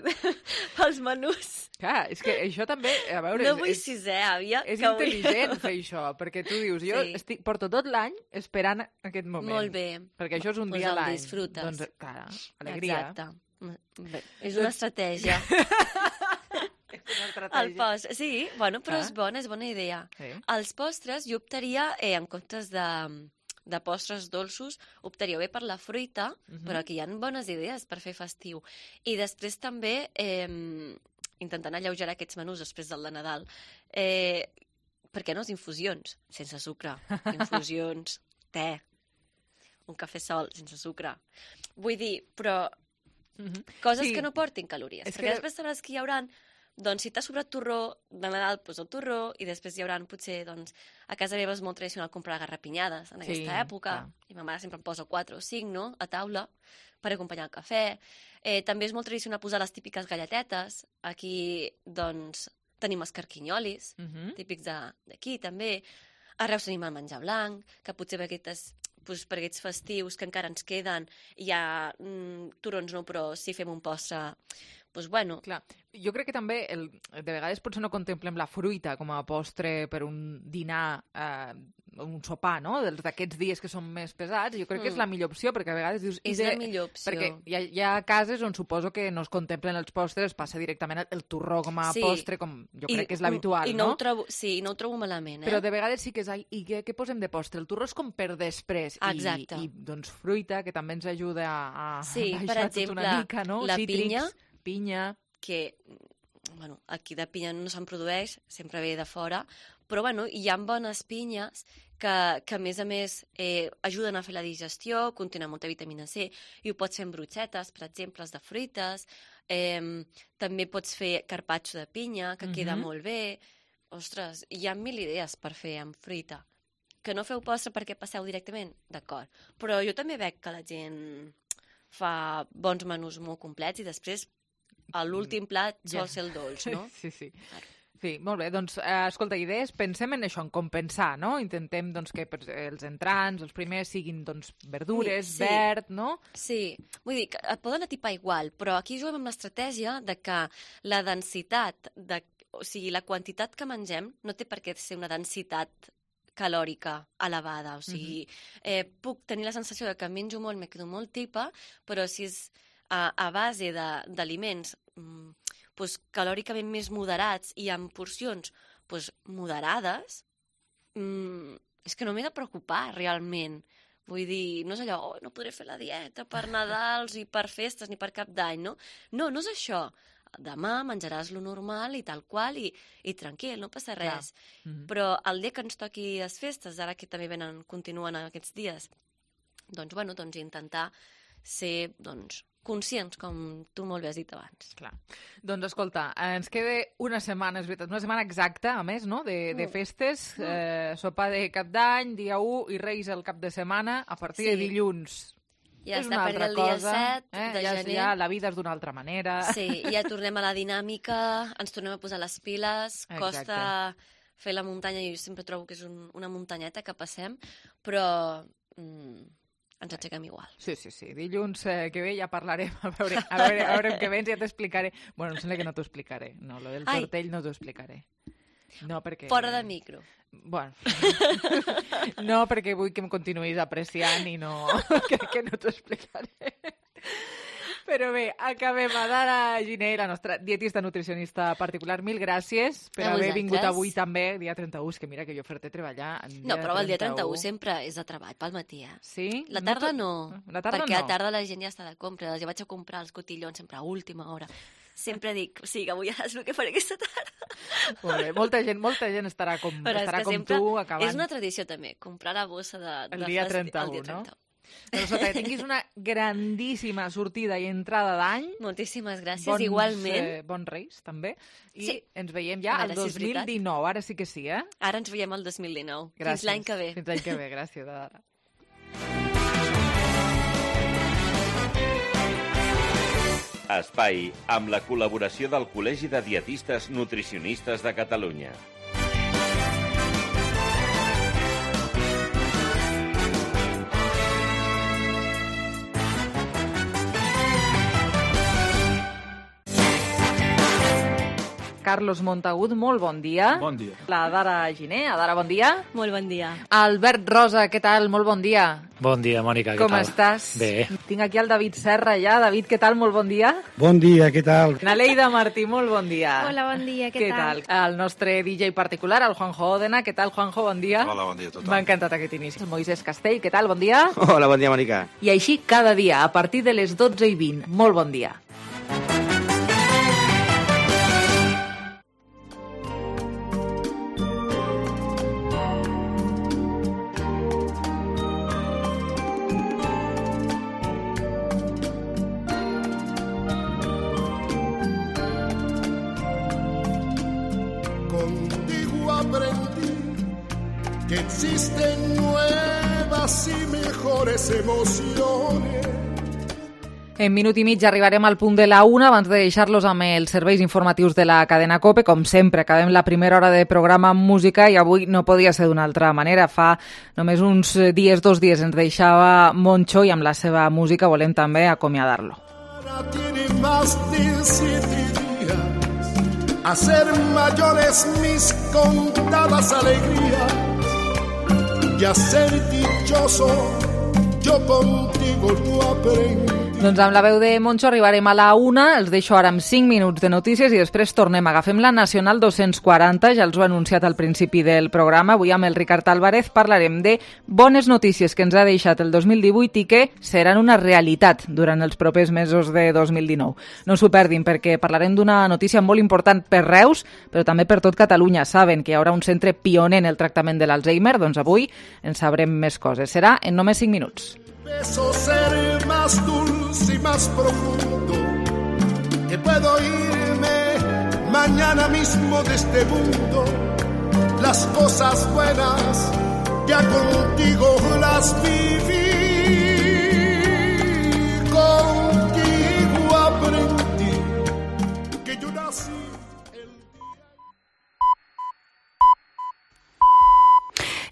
pels menús... Clar, és que això també, a veure... No és- vull és, sisè, àvia. és que vull- intel·ligent fer això, perquè tu dius, jo Sí. estic, porto tot l'any esperant aquest moment. Molt bé. Perquè això és un Pues dia a el l'any. disfrutes. Doncs, clar, alegria. Exacte. Bé, és una estratègia. El post, sí, bueno, però Ah. és bona, és bona idea. Sí. Els postres, jo optaria, eh, en comptes de, de postres dolços, optaria bé per la fruita, Mhm. però aquí hi ha bones idees per fer festiu. I després també, eh, intentant alleugerar aquests menús després del de Nadal, eh, per què no les infusions? Sense sucre. Infusions, te, un cafè sol, sense sucre. Vull dir, però coses Sí. que no portin calories. És Perquè que- després sabràs que hi hauran, doncs, si t'ha sobrat torró de Nadal, doncs el torró, i després hi hauran, potser, doncs, a casa meva és molt tradicional comprar garrapinyades en Sí, aquesta època, clar. i ma mare sempre em posa quatre o cinc, no?, a taula, per acompanyar el cafè. Eh, també és molt tradicional posar les típiques galletetes. Aquí, doncs, tenim els carquinyolis, Mhm. típics de- d'aquí, també. A Reus tenim el menjar blanc, que potser per aquestes doncs, per aquests festius que encara ens queden hi ha mm, turons no, però si fem un postre, doncs bueno. Clar, jo crec que també el, de vegades potser no contemplem la fruita com a postre per un dinar, eh, un sopar, no?, dels d'aquests dies que són més pesats. Jo crec que és Mm. la millor opció, perquè a vegades dius... i És de- la millor opció. Perquè hi ha, hi ha cases on suposo que no es contemplen els postres, es passa directament el, el torró com a Sí. postre, com jo I- crec que és l'habitual, i no? no? Ho trobo, sí, i no ho trobo malament, eh? Però de vegades sí que és... Ai, i què, què posem de postre? El torró és com per després. Exacte. I, i doncs fruita, que també ens ajuda a, a Sí, per baixar tot exemple, una mica, no? la Cítrics, pinya, pinya... que bueno, aquí de pinya no se'n produeix, sempre ve de fora, però bueno, hi ha bones pinyes que, que a més a més eh, ajuden a fer la digestió, contenen molta vitamina C, i ho pots fer amb brotxetes, per exemple, de fruites, eh, també pots fer carpaccio de pinya, que queda Mhm. molt bé. Ostres, hi ha mil idees per fer amb fruita. Que no feu postre perquè passeu directament? D'acord. Però jo també veig que la gent fa bons menús molt complets i després a l'últim plat Ja. sol ser el dolç, no? Sí, sí. Sí, molt bé, doncs, eh, escolta, idees, pensem en això, en compensar, no? Intentem doncs, que per- els entrants, els primers, siguin doncs, verdures, Sí. verd, no? Sí, vull dir que et poden atipar igual, però aquí juguem amb l'estratègia de que la densitat, de, o sigui, la quantitat que mengem no té per què ser una densitat calòrica elevada, o sigui, eh, puc tenir la sensació de que menjo molt, me quedo molt tipa, però si és a, a base de- d'aliments mm, doncs, calòricament més moderats i amb porcions pues, moderades, mm, és que no m'he de preocupar realment. Vull dir, no és allò, oh, no podré fer la dieta per Nadals i per festes ni per Cap d'Any, no? No, no és això. Demà menjaràs lo normal i tal qual i, i tranquil, no passa res. Mm-hmm. Però el dia que ens toqui les festes, ara que també venen, continuen aquests dies, doncs, bueno, doncs intentar ser, doncs, conscients, com tu molt bé has dit abans. Clar. Doncs escolta, ens queda una setmana, és veritat, una setmana exacta, a més, no?, de, de festes, mm. eh, sopar de Cap d'Any, dia u, i Reis el cap de setmana, a partir sí. de dilluns. Ja és està per el dia set eh? de ja, gener. Ja la vida és d'una altra manera. Sí, ja tornem a la dinàmica, ens tornem a posar les piles, Exacte. Costa fer la muntanya, jo sempre trobo que és un, una muntanyeta que passem, però mm, ens aixequem igual. Sí, sí, sí. Dilluns eh, que ve ja parlarem, a veure, a veure, a veure què vens, ja t'explicaré. Bueno, em sembla que no t'ho explicaré. No, lo del Ai. tortell no t'ho explicaré. No, perquè... Fora de micro. Bueno, no, perquè vull que em continuïs apreciant i no... que, que no t'ho explicaré. Però bé, acabem. Adara Giner, la nostra dietista nutricionista particular, mil gràcies per haver vingut avui també, dia trenta-u, que mira que jo fer-te treballar. No, però el dia trenta-u sempre és de treball pel matí, eh? Sí? La tarda no, la tarda perquè no. a la tarda la gent ja està de compra. Jo vaig a comprar els cotillons sempre a última hora. Sempre dic, o sigui, avui ja és el que faré aquesta tarda. Molt bé, molta gent, molta gent estarà com, estarà com tu acabant. És una tradició també, comprar la bossa de, de el dia festi... trenta-u, el dia trenta-u. No? Però sota que tinguis una grandíssima sortida i entrada d'any. Moltíssimes gràcies, bons, igualment. Eh, bons Reis, també. I sí. ens veiem ja el dos mil dinou, ara sí que sí, eh? Ara ens veiem el dos mil dinou. Gràcies. Fins l'any que ve. Fins l'any que ve, gràcies, Adara. Espai, amb la col·laboració del Col·legi de Dietistes Nutricionistes de Catalunya. Carlos Montagut, molt bon dia. Bon dia. La Adara Giner, Adara, bon dia. Molt bon dia. Albert Rosa, què tal? Molt bon dia. Bon dia, Mònica, què Com tal? Com estàs? Bé. Tinc aquí el David Serra ja. David, què tal? Molt bon dia. Bon dia, què tal? Naleida Martí, molt bon dia. Hola, bon dia, què, què tal? tal? El nostre D J particular, el Juanjo Odena. Què tal, Juanjo? Bon dia. Hola, bon dia a tothom. M'ha encantat aquest inici. El Moisés Castell, què tal? Bon dia. Hola, bon dia, Mònica. I així cada dia, a partir de les dotze i vint. Molt bon dia. Existen nuevas y mejores emociones. En minut i mig arribarem al punt de la una abans de deixar-los amb els serveis informatius de la cadena COPE. Com sempre, acabem la primera hora de programa amb música i avui no podia ser d'una altra manera. Fa només uns dies, dos dies, ens deixava Moncho i amb la seva música volem també acomiadar-lo. Tiene más de siete días a ser mayores mis contadas alegrías y a ser dichoso yo contigo lo aprendí. Doncs amb la veu de Moncho arribarem a la una, els deixo ara amb cinc minuts de notícies i després tornem. Agafem la Nacional dos-cents quaranta, ja els ho he anunciat al principi del programa. Avui amb el Ricard Álvarez parlarem de bones notícies que ens ha deixat el dos mil divuit i que seran una realitat durant els propers mesos de dos mil dinou. No s'ho perdin perquè parlarem d'una notícia molt important per Reus, però també per tot Catalunya. Saben que hi haurà un centre pioner en el tractament de l'Alzheimer, doncs avui en sabrem més coses. Serà en només cinc minuts. Beso ser más dulce y más profundo, que puedo irme mañana mismo de este mundo. Las cosas buenas ya contigo las viví, contigo aprendí que yo nací el día.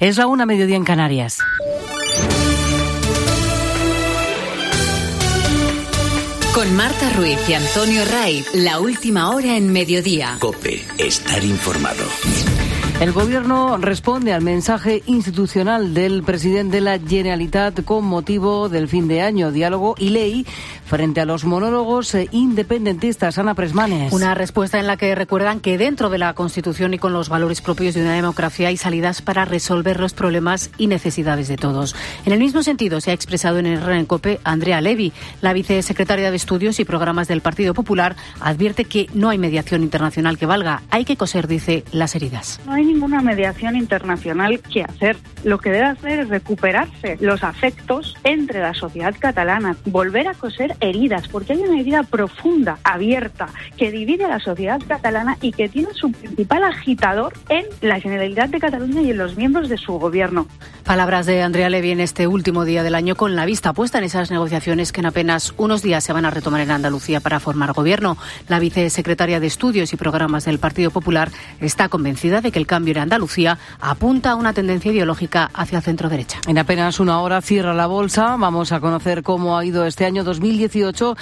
Es la una, mediodía en Canarias. Con Marta Ruiz y Antonio Ray, la última hora en mediodía. COPE, estar informado. El Gobierno responde al mensaje institucional del presidente de la Generalitat con motivo del fin de año, diálogo y ley, frente a los monólogos independentistas. Ana Presmanes. Una respuesta en la que recuerdan que dentro de la Constitución y con los valores propios de una democracia hay salidas para resolver los problemas y necesidades de todos. En el mismo sentido se ha expresado en el R en COPE Andrea Levy. La vicesecretaria de Estudios y Programas del Partido Popular advierte que no hay mediación internacional que valga. Hay que coser, dice, las heridas. No hay ninguna mediación internacional que hacer. Lo que debe hacer es recuperarse los afectos entre la sociedad catalana, volver a coser heridas, porque hay una herida profunda, abierta, que divide a la sociedad catalana y que tiene su principal agitador en la Generalitat de Cataluña y en los miembros de su gobierno. Palabras de Andrea Levy en este último día del año, con la vista puesta en esas negociaciones que en apenas unos días se van a retomar en Andalucía para formar gobierno. La vicesecretaria de Estudios y Programas del Partido Popular está convencida de que el cambio en Andalucía apunta a una tendencia ideológica hacia centro-derecha. En apenas una hora cierra la bolsa. Vamos a conocer cómo ha ido este año dos mil dieciocho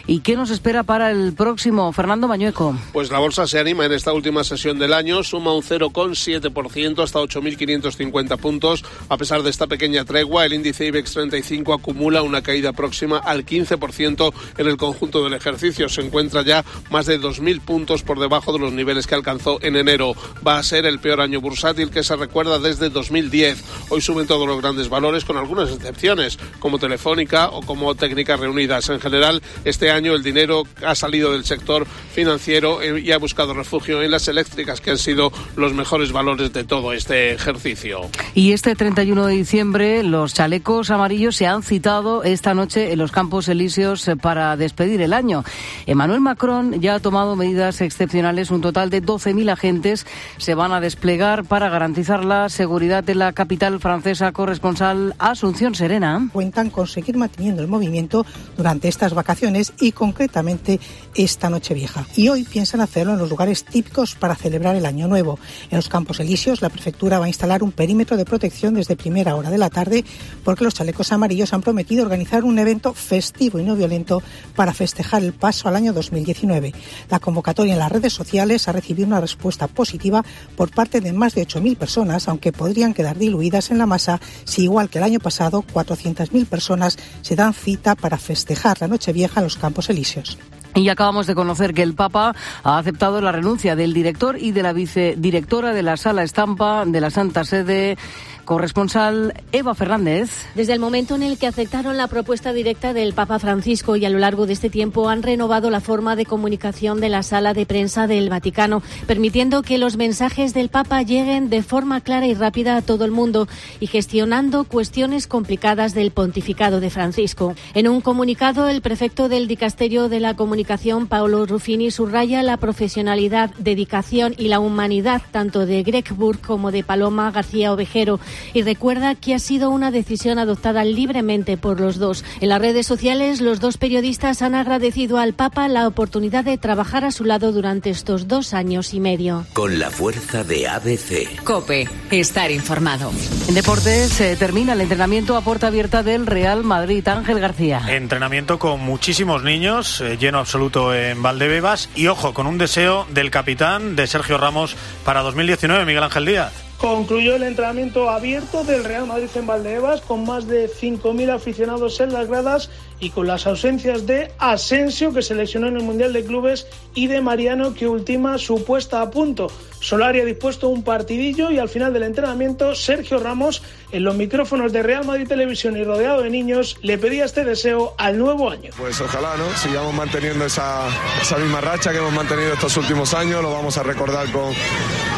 y qué nos espera para el próximo. Fernando Mañueco. Pues la bolsa se anima en esta última sesión del año, suma un cero coma siete por ciento hasta ocho mil quinientos cincuenta puntos. A pesar de esta pequeña tregua, el índice IBEX treinta y cinco acumula una caída próxima al quince por ciento en el conjunto del ejercicio. Se encuentra ya más de dos mil puntos por debajo de los niveles que alcanzó en enero. Va a ser el peor año bursátil que se recuerda desde dos mil diez. Hoy suben todos los grandes valores, con algunas excepciones, como Telefónica o como Técnicas Reunidas. En general, este año el dinero ha salido del sector financiero y ha buscado refugio en las eléctricas, que han sido los mejores valores de todo este ejercicio. Y este treinta y uno de diciembre, los chalecos amarillos se han citado esta noche en los Campos Elíseos para despedir el año. Emmanuel Macron ya ha tomado medidas excepcionales. Un total de doce mil agentes se van a desplegar para garantizar la seguridad de la capital francesa. Corresponsal Asunción Serena. Cuentan con seguir manteniendo el movimiento durante estas vacaciones y concretamente esta Nochevieja. Y hoy piensan hacerlo en los lugares típicos para celebrar el Año Nuevo. En los Campos Elíseos, la prefectura va a instalar un perímetro de protección desde primera hora de la tarde, porque los chalecos amarillos han prometido organizar un evento festivo y no violento para festejar el paso al año dos mil diecinueve. La convocatoria en las redes sociales ha recibido una respuesta positiva por parte de más de ocho mil personas, aunque podrían quedar diluidas en la masa si, igual que el año pasado, cuatrocientas mil personas se dan cita para festejar la Nochevieja en los Campos Elíseos. Y acabamos de conocer que el Papa ha aceptado la renuncia del director y de la vicedirectora de la Sala Estampa de la Santa Sede. Corresponsal Eva Fernández. Desde el momento en el que aceptaron la propuesta directa del Papa Francisco y a lo largo de este tiempo han renovado la forma de comunicación de la sala de prensa del Vaticano, permitiendo que los mensajes del Papa lleguen de forma clara y rápida a todo el mundo y gestionando cuestiones complicadas del pontificado de Francisco. En un comunicado, el prefecto del Dicasterio de la Comunicación, Paolo Ruffini, subraya la profesionalidad, dedicación y la humanidad tanto de Greg Burke como de Paloma García Ovejero, y recuerda que ha sido una decisión adoptada libremente por los dos. En las redes sociales, los dos periodistas han agradecido al Papa la oportunidad de trabajar a su lado durante estos dos años y medio. Con la fuerza de A B C. COPE. Estar informado. En deportes se termina el entrenamiento a puerta abierta del Real Madrid. Ángel García. Entrenamiento con muchísimos niños, eh, lleno absoluto en Valdebebas y, ojo, con un deseo del capitán, de Sergio Ramos, para dos mil diecinueve, Miguel Ángel Díaz. Concluyó el entrenamiento abierto del Real Madrid en Valdebebas con más de cinco mil aficionados en las gradas y con las ausencias de Asensio, que se lesionó en el Mundial de Clubes, y de Mariano, que ultima su puesta a punto. Solari ha dispuesto un partidillo y al final del entrenamiento Sergio Ramos, en los micrófonos de Real Madrid Televisión y rodeado de niños, le pedía este deseo al nuevo año. Pues ojalá, ¿no? Sigamos manteniendo esa, esa misma racha que hemos mantenido estos últimos años. Lo vamos a recordar con,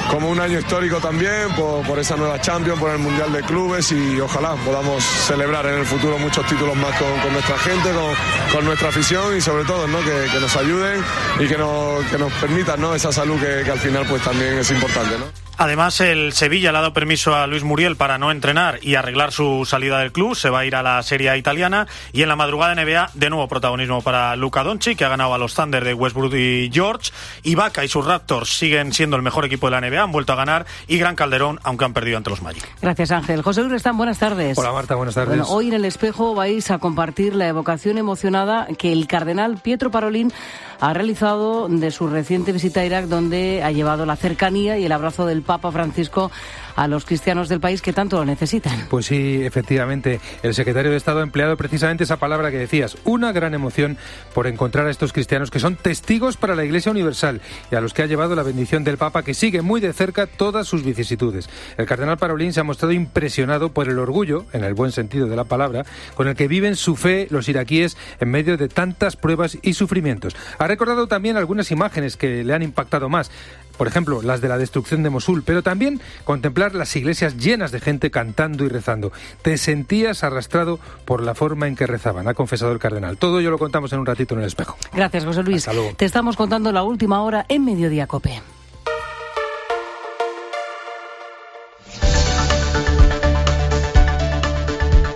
como un año histórico también, por, por esa nueva Champions, por el Mundial de Clubes, y ojalá podamos celebrar en el futuro muchos títulos más con, con nuestra gente, con, con nuestra afición, y sobre todo, ¿no? que, que nos ayuden y que nos, que nos permitan, ¿no? esa salud que, que al final pues también es importante, ¿no? Además, el Sevilla le ha dado permiso a Luis Muriel para no entrenar y arreglar su salida del club. Se va a ir a la Serie A italiana. Y en la madrugada N B A, de nuevo protagonismo para Luka Doncic, que ha ganado a los Thunder de Westbrook y George. Ibaka y sus Raptors siguen siendo el mejor equipo de la N B A, han vuelto a ganar. Y Gran Calderón, aunque han perdido ante los Magic. Gracias, Ángel. José Luis Restán, buenas tardes. Hola, Marta, buenas tardes. Bueno, hoy en El Espejo vais a compartir la evocación emocionada que el cardenal Pietro Parolin ha realizado de su reciente visita a Irak, donde ha llevado la cercanía y el abrazo del Papa Papa Francisco a los cristianos del país que tanto lo necesitan. Pues sí, efectivamente, el secretario de Estado ha empleado precisamente esa palabra que decías, una gran emoción por encontrar a estos cristianos que son testigos para la Iglesia Universal y a los que ha llevado la bendición del Papa, que sigue muy de cerca todas sus vicisitudes. El cardenal Parolin se ha mostrado impresionado por el orgullo, en el buen sentido de la palabra, con el que viven su fe los iraquíes en medio de tantas pruebas y sufrimientos. Ha recordado también algunas imágenes que le han impactado más, por ejemplo, las de la destrucción de Mosul, pero también contemplar las iglesias llenas de gente cantando y rezando. Te sentías arrastrado por la forma en que rezaban, ha confesado el cardenal. Todo ello lo contamos en un ratito en El Espejo. Gracias, José Luis. Hasta luego. Te estamos contando la última hora en Mediodía COPE.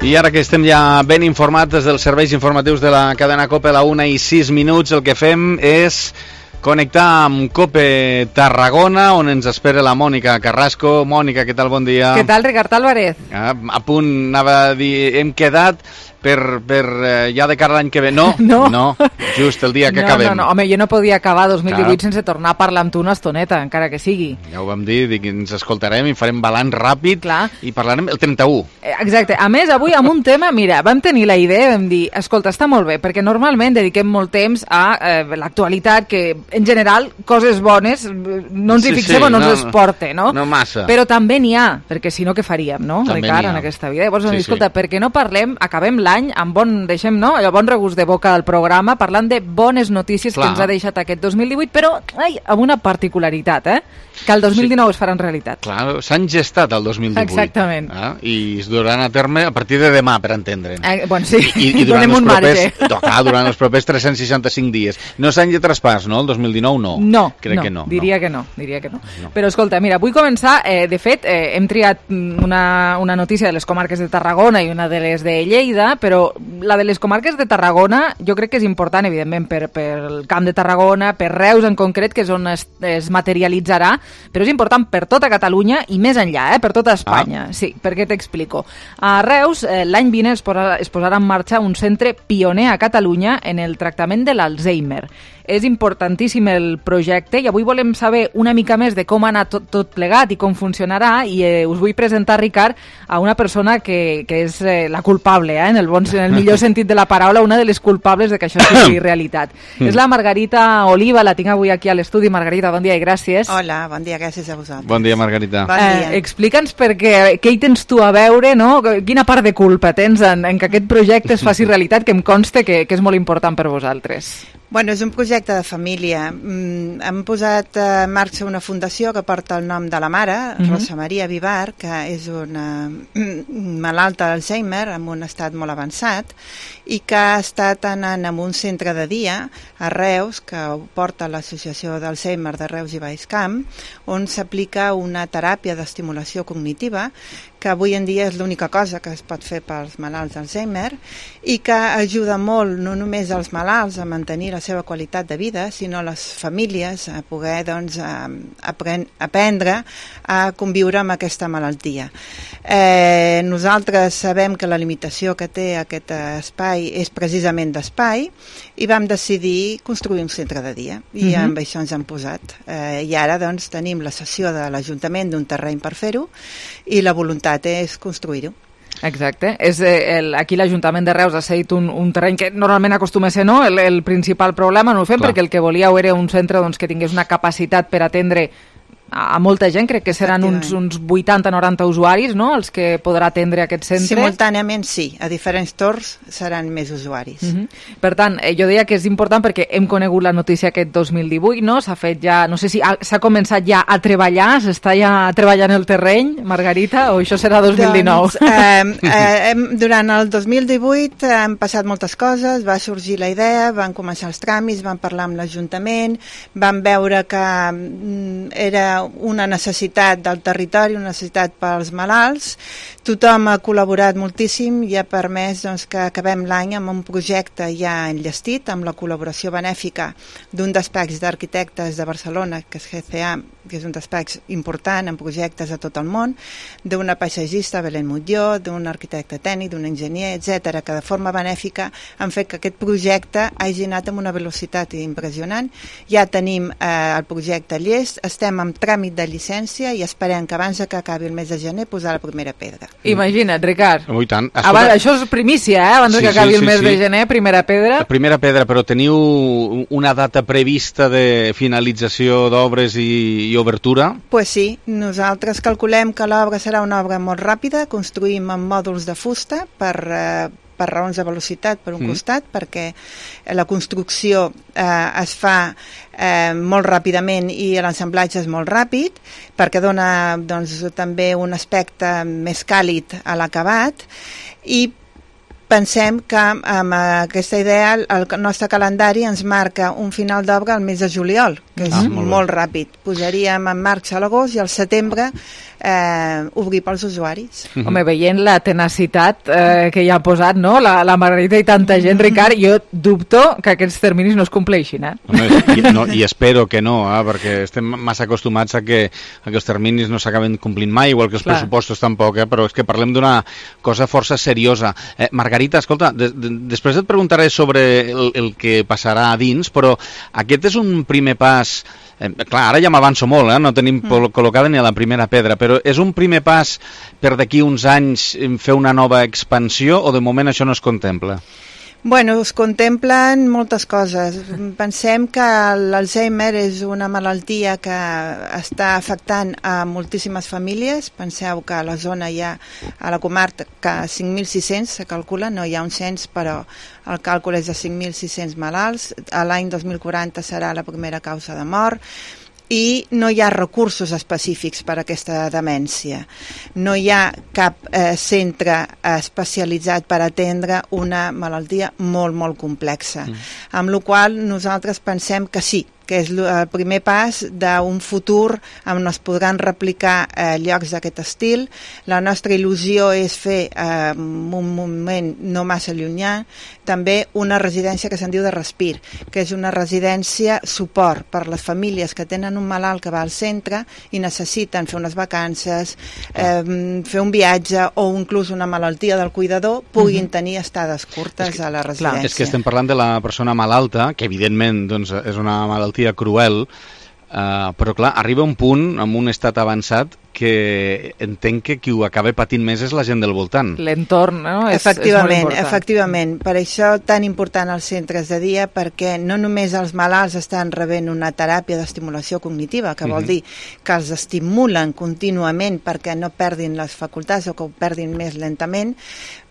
I ara que estem ja ben informats des dels serveis informatius de la cadena COPE, a la una i sis minuts, el que fem és connectar amb COPE Tarragona, on ens espera la Mònica Carrasco. Mònica, què tal? Bon dia. Què tal, Ricard Álvarez? Ah, a punt, anava a dir, hem quedat per, per eh, ja de cara a l'any que ve. No, no, no, just el dia que no, acabem. No, no, home, jo no podia acabar dos mil divuit Clar. sense tornar a parlar amb tu una estoneta, encara que sigui. Ja ho vam dir, dic, ens escoltarem i farem balanç ràpid. Clar. I parlarem el trenta-u. Exacte. A més, avui amb un tema, mira, vam tenir la idea, vam dir, escolta, està molt bé, perquè normalment dediquem molt temps a eh, l'actualitat, que en general coses bones no ens sí, hi fixem sí, o no, no ens no, esporte, no? No massa. Però també n'hi ha, perquè si no, què faríem, no, també Ricard, en aquesta vida? Llavors, sí, escolta, sí. per què no parlem, acabem l'any amb bon, deixem, no?, el bon regust de boca del programa, parlant de bones notícies Clar. que ens ha deixat aquest dos mil divuit, però, ai, amb una particularitat, eh?, que el dos mil dinou sí. es farà en realitat. Clar, s'han gestat el dos mil divuit. Exactament. Eh? I es duran a terme a partir de demà, per entendre'n. Eh, bueno, sí, I, i donem un propers, marge. No, clar, durant els propers tres-cents seixanta-cinc dies. No s'han de traspàs, no? El dos mil dinou no. No, Crec no, que no. diria no. que no, diria que no. no. Però escolta, mira, vull començar, eh, de fet, eh, hem triat una, una notícia de les comarques de Tarragona i una de les de Lleida, però la de les comarques de Tarragona jo crec que és important, evidentment, per, per el Camp de Tarragona, per Reus en concret, que és on es, es materialitzarà, però és important per tota Catalunya i més enllà, eh, per tota Espanya. Ah. Sí, perquè t'explico. A Reus, eh, l'any vinent es, posa, es posarà en marxa un centre pioner a Catalunya en el tractament de l'Alzheimer. És importantíssim el projecte i avui volem saber una mica més de com ha anat tot, tot plegat i com funcionarà i eh, us vull presentar, Ricard, a una persona que, que és eh, la culpable, eh, en, el bon, en el millor sentit de la paraula, una de les culpables de que això sigui realitat. És la Margarita Oliva, la tinc avui aquí a l'estudi. Margarita, bon dia i gràcies. Hola, bon dia, gràcies a vosaltres. Bon dia, Margarita. Bon dia. Eh, Explica'ns perquè, què hi tens tu a veure, no? Quina part de culpa tens en, en que aquest projecte es faci realitat, que em consta que, que és molt important per vosaltres. Bueno, és un projecte de família. Mm, hem posat en marxa una fundació que porta el nom de la mare, uh-huh. Rosa Maria Vivar, que és una malalta d'Alzheimer amb un estat molt avançat i que ha estat anant en un centre de dia a Reus, que ho porta l'Associació d'Alzheimer de Reus i Baixcamp, on s'aplica una teràpia d'estimulació cognitiva que avui en dia és l'única cosa que es pot fer pels malalts d'Alzheimer i que ajuda molt no només als malalts a mantenir la seva qualitat de vida, sinó a les famílies a poder doncs, a, a aprendre a conviure amb aquesta malaltia. Eh, nosaltres sabem que la limitació que té aquest espai és precisament d'espai i vam decidir construir un centre de dia i uh-huh. amb això ens hem posat. Eh, I ara doncs, tenim la cessió de l'Ajuntament d'un terreny per fer-ho i la voluntat és construir-ho. Exacte. És, eh, el, aquí l'Ajuntament de Reus ha cedit un, un terreny que normalment acostuma a ser no, el, el principal problema, no ho fem Clar. perquè el que volíeu era un centre doncs, que tingués una capacitat per atendre a molta gent, crec que seran uns, uns vuitanta noranta usuaris, no?, els que podrà atendre aquest centre. Simultàniament sí, a diferents torns seran més usuaris. Uh-huh. Per tant, eh, jo deia que és important perquè hem conegut la notícia aquest dos mil divuit, no?, s'ha fet ja, no sé si s'ha començat ja a treballar, s'està ja treballant el terreny, Margarita, o això serà dos mil dinou? Doncs, eh, eh, durant el dos mil divuit han passat moltes coses, va sorgir la idea, van començar els tràmits, van parlar amb l'Ajuntament, van veure que mm, era una necessitat del territori, una necessitat pels malalts. Tothom ha col·laborat moltíssim i ha permès doncs, que acabem l'any amb un projecte ja enllestit, amb la col·laboració benèfica d'un despatx d'arquitectes de Barcelona, que és G C A, que és un despatx important en projectes a tot el món, d'una paisatgista, Belén Mutlló, d'un arquitecte tècnic, d'un enginyer, etcètera, que de forma benèfica han fet que aquest projecte hagi anat amb una velocitat impressionant. Ja tenim eh, el projecte llest, estem en tràmit de llicència i esperem que abans que acabi el mes de gener posar la primera pedra. Imagina't, Ricard. Oh, i tant. Abans, això és primícia, eh? Abans sí, que acabi sí, sí, el mes sí. de gener, primera pedra. La primera pedra, però teniu una data prevista de finalització d'obres i, i obertura? Pues sí, nosaltres calculem que l'obra serà una obra molt ràpida, construïm amb mòduls de fusta per... Eh, per raons de velocitat per un mm. costat, perquè la construcció eh, es fa eh, molt ràpidament i l'assemblatge és molt ràpid, perquè dona doncs, també un aspecte més càlid a l'acabat, i pensem que amb aquesta idea el nostre calendari ens marca un final d'obra al mes de juliol, que és ah, molt, molt ràpid. Posaríem en marxa a l'agost i al setembre eh, obrir pels usuaris. Mm-hmm. Home, veient la tenacitat eh, que hi ha posat, no? La, la Margarita i tanta gent, Ricard, jo dubto que aquests terminis no es compleixin, eh? Home, i, no, i espero que no, eh? Perquè estem massa acostumats a que, a que els terminis no s'acaben complint mai, igual que els Clar. pressupostos tampoc, eh? Però és que parlem d'una cosa força seriosa. Eh, Margarita, escolta, de, de, després et preguntaré sobre el, el que passarà a dins, però aquest és un primer pas. Eh, clar, ara ja m'avanço molt, eh? No tenim mm. col·locada ni a la primera pedra, però és un primer pas per d'aquí uns anys fer una nova expansió o de moment això no es contempla? Bueno, es contemplen moltes coses. Pensem que l'Alzheimer és una malaltia que està afectant a moltíssimes famílies. Penseu que a la zona hi ha, a la comarca, cinc mil sis-cents, se calcula, no hi ha un cens, però el càlcul és de cinc mil sis-cents malalts. A l'any dos mil quaranta serà la primera causa de mort. I no hi ha recursos específics per a aquesta demència. No hi ha cap eh, centre especialitzat per atendre una malaltia molt, molt complexa. Mm. Amb la qual cosa nosaltres pensem que sí, que és el primer pas d'un futur on es podran replicar eh, llocs d'aquest estil. La nostra il·lusió és fer eh, un moment no massa llunyà també una residència que se'n diu de Respir, que és una residència suport per les famílies que tenen un malalt que va al centre i necessiten fer unes vacances, eh, fer un viatge o inclús una malaltia del cuidador, puguin tenir estades curtes que, a la residència. Clar, és que estem parlant de la persona malalta, que evidentment doncs, és una malaltia cruel, uh, però clar, arriba un punt amb un estat avançat que entenc que qui ho acaba patint més és la gent del voltant. L'entorn, no? És, efectivament, és efectivament. Per això tan important els centres de dia, perquè no només els malalts estan rebent una teràpia d'estimulació cognitiva, que vol mm-hmm. dir que els estimulen contínuament perquè no perdin les facultats o que ho perdin més lentament,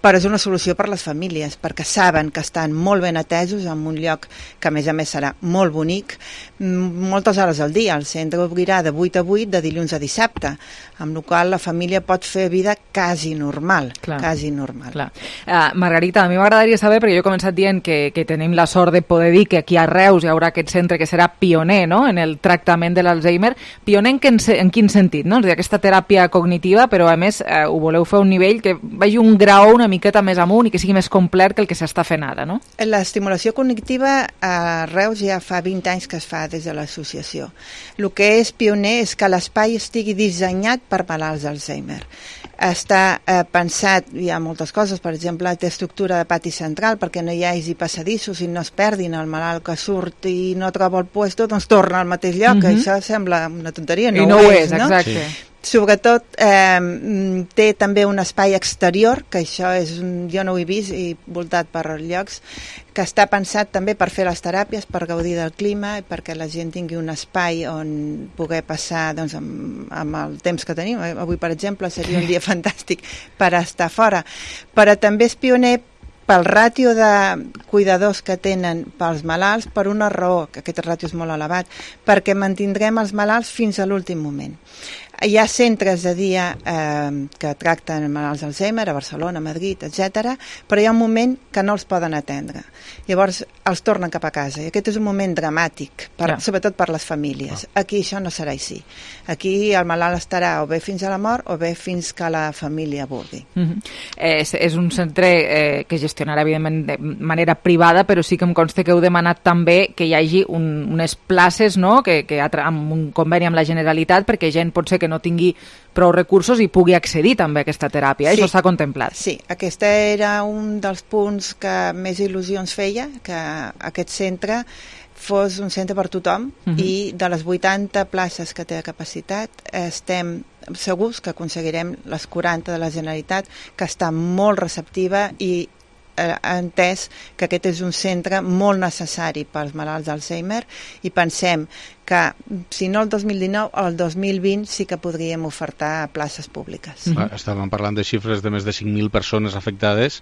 però és una solució per les famílies, perquè saben que estan molt ben atesos en un lloc que a més a més serà molt bonic, moltes hores al dia. El centre obrirà de vuit a vuit, de dilluns a dissabte, amb la qual la família pot fer vida quasi normal, Clar. quasi normal. Clar. Uh, Margarita, a mi m'agradaria saber, perquè jo he començat dient que, que tenim la sort de poder dir que aquí a Reus hi haurà aquest centre que serà pioner, no?, en el tractament de l'Alzheimer. Pioner en, quin, en quin sentit, no? És a dir, aquesta teràpia cognitiva, però a més uh, ho voleu fer a un nivell que vagi un grau una miqueta més amunt i que sigui més complet que el que s'està fent ara, no? L'estimulació cognitiva a Reus ja fa vint anys que es fa des de l'associació. El que és pioner és que l'espai estigui dissenyat per malalts d'Alzheimer. Està eh, pensat, hi ha moltes coses, per exemple, té estructura de pati central perquè no hi hagi passadissos i no es perdin. El malalt que surt i no troba el puesto, doncs torna al mateix lloc. Mm-hmm. Això sembla una tonteria, no, I no ho és, és, no? Exacte. Sí. Sobretot eh, té també un espai exterior, que això és un, jo no ho he vist, i voltat per llocs, que està pensat també per fer les teràpies, per gaudir del clima, i perquè la gent tingui un espai on poder passar doncs, amb, amb el temps que tenim. Avui, per exemple, seria un dia fantàstic per estar fora. Però també és pioner pel ràtio de cuidadors que tenen pels malalts, per una raó, que aquest ràtio és molt elevat, perquè mantindrem els malalts fins a l'últim moment. Hi ha centres de dia eh, que tracten malalts d'Alzheimer, a Barcelona, a Madrid, etcètera, però hi ha un moment que no els poden atendre. Llavors els tornen cap a casa i aquest és un moment dramàtic, per, yeah. sobretot per les famílies. Ah. Aquí això no serà així. Aquí el malalt estarà o bé fins a la mort o bé fins que la família vulgui. Mm-hmm. és, és un centre eh, que gestionarà evidentment de manera privada, però sí que em consta que heu demanat també que hi hagi un, unes places, no?, que, que amb un conveni amb la Generalitat, perquè gent pot ser que no tingui prou recursos i pugui accedir també a aquesta teràpia. Sí. Això està contemplat. Sí, aquest era un dels punts que més il·lusions feia, que aquest centre fos un centre per tothom, uh-huh. i de les vuitanta places que té de capacitat estem segurs que aconseguirem les quaranta de la Generalitat, que està molt receptiva i eh, entès que aquest és un centre molt necessari pels malalts d'Alzheimer i pensem que si no el dos mil dinou, el dos mil vint sí que podríem ofertar places públiques. Mm-hmm. Estàvem parlant de xifres de més de cinc mil persones afectades.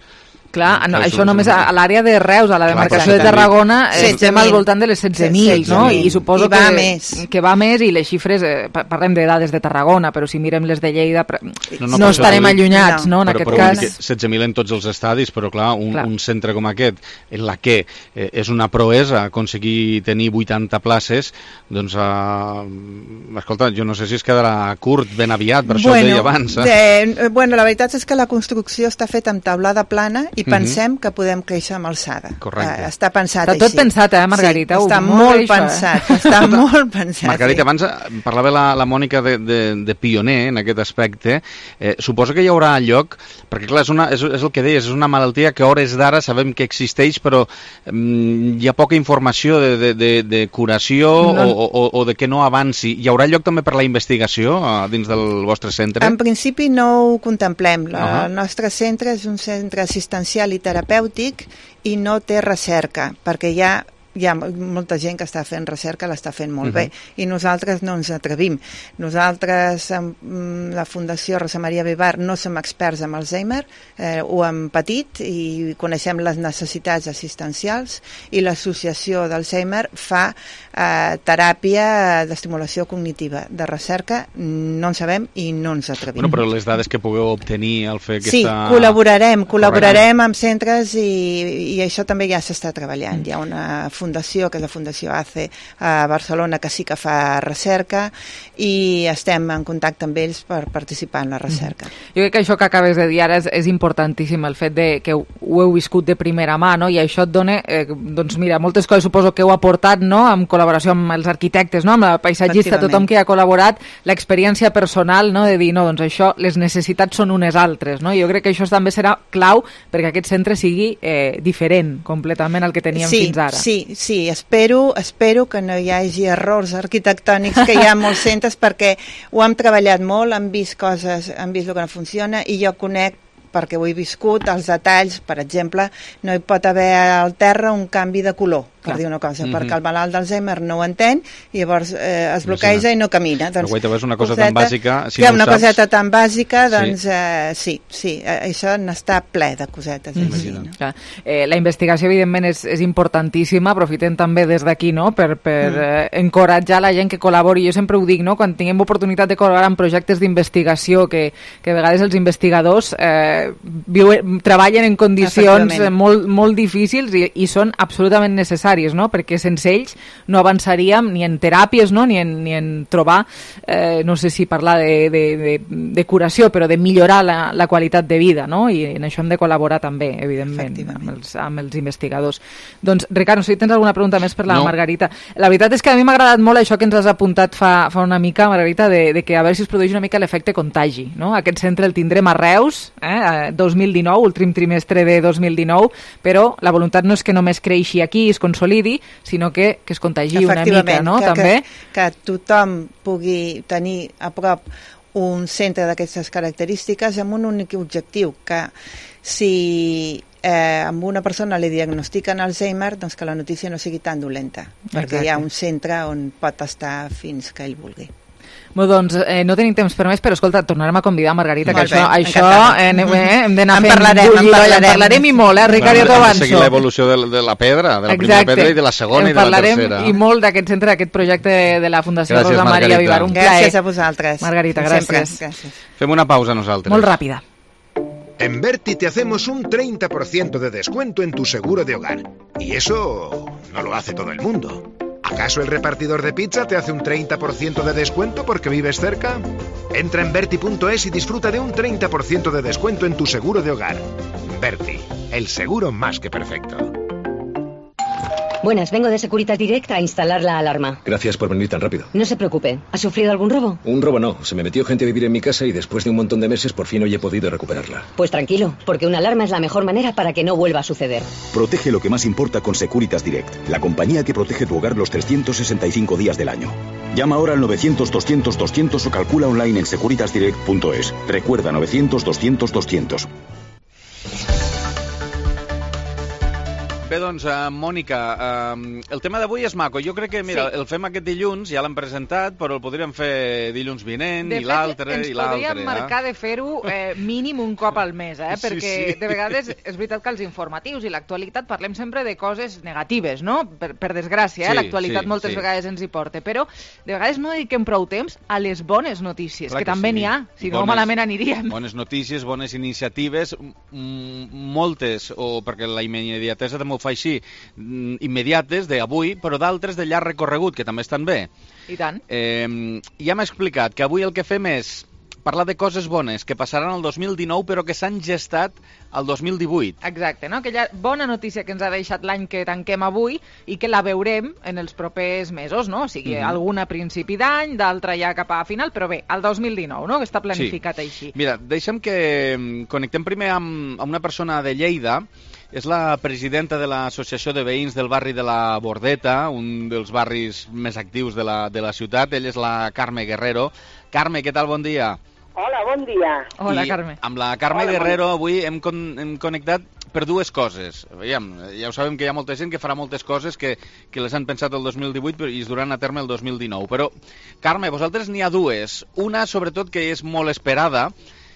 Clar, no, això només a, a l'àrea de Reus, a la demarcació de Tarragona, estem al voltant de les setze mil, no? I suposo que, més. que va més, i les xifres, eh, parlem de dades de Tarragona, però si mirem les de Lleida, no, no, no estarem allunyats, no, en però, aquest però cas. setze mil en tots els estadis, però clar, un, clar. un centre com aquest, en la que eh, és una proesa aconseguir tenir vuitanta places, doncs, eh, escolta, jo no sé si es quedarà curt ben aviat, per això bueno, ho deia abans. Eh? De, bueno, la veritat és que la construcció està feta amb taulada plana i pensem que podem créixer amb alçada. Correcte. Uh, està pensat està així. Està tot pensat, eh, Margarita? Sí, està uh, molt, molt això, pensat, eh? està molt pensat. Margarita, sí. abans parlava la, la Mònica de, de, de pioner en aquest aspecte. Eh, suposo que hi haurà lloc, perquè clar, és, una, és, és el que deies, és una malaltia que a hores d'ara sabem que existeix, però mm, hi ha poca informació de, de, de, de curació no. o, o, o de que no avanci. Hi haurà lloc també per la investigació uh, dins del vostre centre? En principi no ho contemplem. La, uh-huh. El nostre centre és un centre assistencial i terapèutic i no té recerca, perquè hi ha hi ha molta gent que està fent recerca, l'està fent molt uh-huh. bé, i nosaltres no ens atrevim. Nosaltres, amb la Fundació Rosa Maria Vivar, no som experts en Alzheimer, eh, ho hem patit i coneixem les necessitats assistencials, i l'associació d'Alzheimer fa eh, teràpia d'estimulació cognitiva. De recerca no en sabem i no ens atrevim. Bueno, però les dades que pugueu obtenir al fer aquesta... Sí, col·laborarem, col·laborarem amb centres i, i això també ja s'està treballant. Hi ha una fundació, que és la Fundació A C E a Barcelona, que sí que fa recerca i estem en contacte amb ells per participar en la recerca. Mm. Jo crec que això que acabes de dir ara és, és importantíssim, el fet de que ho, ho heu viscut de primera mà, no? I això et dona, eh, doncs mira, moltes coses suposo que heu aportat, no?, en col·laboració amb els arquitectes, no?, amb la paisatgista, tothom que ha col·laborat, l'experiència personal, no?, de dir, no, doncs això, les necessitats són unes altres, no? I jo crec que això també serà clau perquè aquest centre sigui eh, diferent completament al que teníem sí, fins ara. Sí, Sí, espero, espero que no hi hagi errors arquitectònics que hi ha a molts centres, perquè ho hem treballat molt, hem vist coses, hem vist el que no funciona, i jo conec, perquè ho he viscut, els detalls, per exemple, no hi pot haver al terra un canvi de color, per dir una cosa, mm-hmm. perquè el malalt d'Alzheimer no ho entén i llavors eh, es bloqueja i no camina. Doncs, però guaita, és una cosa coseta, tan bàsica, si que no una ho saps... coseta tan bàsica, doncs sí, eh, sí, sí eh, això n'està ple de cosetes. Mm-hmm. Així, no? Clar. Eh, la investigació, evidentment, és, és importantíssima, aprofitem també des d'aquí, no?, per, per mm. eh, encoratjar la gent que col·labori. Jo sempre ho dic, no?, quan tinguem oportunitat de col·laborar en projectes d'investigació, que, que a vegades els investigadors eh, viuen, treballen en condicions molt, molt difícils i, i són absolutament necessaris, no?, perquè sense ells no avançaríem ni en teràpies, no?, ni en, ni en trobar, eh, no sé si parlar de, de, de, de curació, però de millorar la, la qualitat de vida, no?, i en això hem de col·laborar també, evidentment, amb els, amb els investigadors. Doncs, Ricard, no sé si tens alguna pregunta més per la no. Margarita. La veritat és que a mi m'ha agradat molt això que ens has apuntat fa, fa una mica, Margarita, de, de que a veure si es produeix una mica l'efecte contagi, no? Aquest centre el tindrem a Reus, eh, dos mil dinou, últim trimestre de dos mil dinou, però la voluntat no és que només creixi aquí i es consolidi, sinó que, que es contagi una mica, no?, que, també. Que, que tothom pugui tenir a prop un centre d'aquestes característiques amb un únic objectiu, que si eh, amb una persona li diagnostiquen Alzheimer, doncs que la notícia no sigui tan dolenta, perquè Exacte. Hi ha un centre on pot estar fins que ell vulgui. Bé, doncs eh, no tenim temps per més, però escolta, tornarem a convidar Margarita, que Molt bé, això, això eh, eh, hem d'anar En fent parlarem, en bullir, parlarem. en parlarem i molt, eh, Ricard, ja t'ho Hem de avanço. seguir l'evolució de, de la pedra, de la primera Exacte. pedra i de la segona en i de la parlarem tercera. i molt d'aquest centre, d'aquest projecte de la Fundació Gràcies, Rosa Maria Margarita. Vivar. Un Gràcies plaer. a vosaltres. Margarita, Sempre, gràcies. gràcies. Fem una pausa nosaltres. Molt ràpida. En Berti te hacemos un treinta por ciento de descuento en tu seguro de hogar. Y eso no lo hace todo el mundo. ¿Acaso el repartidor de pizza te hace un treinta por ciento de descuento porque vives cerca? Entra en Berti punto es y disfruta de un treinta por ciento de descuento en tu seguro de hogar. Berti, el seguro más que perfecto. Buenas, vengo de Securitas Direct a instalar la alarma. Gracias por venir tan rápido. No se preocupe. ¿Ha sufrido algún robo? Un robo no. Se me metió gente a vivir en mi casa y después de un montón de meses por fin hoy he podido recuperarla. Pues tranquilo, porque una alarma es la mejor manera para que no vuelva a suceder. Protege lo que más importa con Securitas Direct, la compañía que protege tu hogar los trescientos sesenta y cinco días del año. Llama ahora al novecientos doscientos doscientos o calcula online en securitas direct punto es. Recuerda novecientos doscientos doscientos. Bé, doncs, uh, Mònica, uh, el tema d'avui és maco. Jo crec que, mira, sí. el fem aquest dilluns, ja l'hem presentat, però el podríem fer dilluns vinent, de i fet, l'altre, ens i l'altre. podríem marcar de fer-ho eh, mínim un cop al mes, eh? Sí, perquè sí. de vegades és veritat que els informatius i l'actualitat parlem sempre de coses negatives, no? Per, per desgràcia, eh? Sí, l'actualitat sí, moltes sí. vegades ens hi porta, però de vegades no dediquem prou temps a les bones notícies, Clar que, que també sí. n'hi ha, si no Bones- malament aniríem. Bones notícies, bones iniciatives, mm, moltes, o perquè la immediatesa també ho fa així, mm, immediates d'avui, però d'altres de llarg recorregut, que també estan bé. I tant. Eh, ja m'ha explicat que avui el que fem és parlar de coses bones que passaran el dos mil dinou però que s'han gestat el dos mil divuit. Exacte, no? Aquella bona notícia que ens ha deixat l'any que tanquem avui i que la veurem en els propers mesos, no? O sigui, Mhm. alguna a principi d'any, d'altra ja cap a final, però bé, el dos mil dinou, no? Que està planificat Sí. així. Mira, deixa'm que mm, connectem primer amb, amb una persona de Lleida. És la presidenta de l'Associació de Veïns del barri de la Bordeta, un dels barris més actius de la, de la ciutat. Ella és la Carme Guerrero. Carme, què tal? Bon dia. Hola, bon dia. Hola, I Carme. Amb la Carme Hola, Guerrero avui hem, con hem connectat per dues coses. Veiem, ja ho sabem que hi ha molta gent que farà moltes coses que, que les han pensat el dos mil divuit però, i es duran a terme el dos mil dinou. Però, Carme, vosaltres n'hi ha dues. Una, sobretot, que és molt esperada,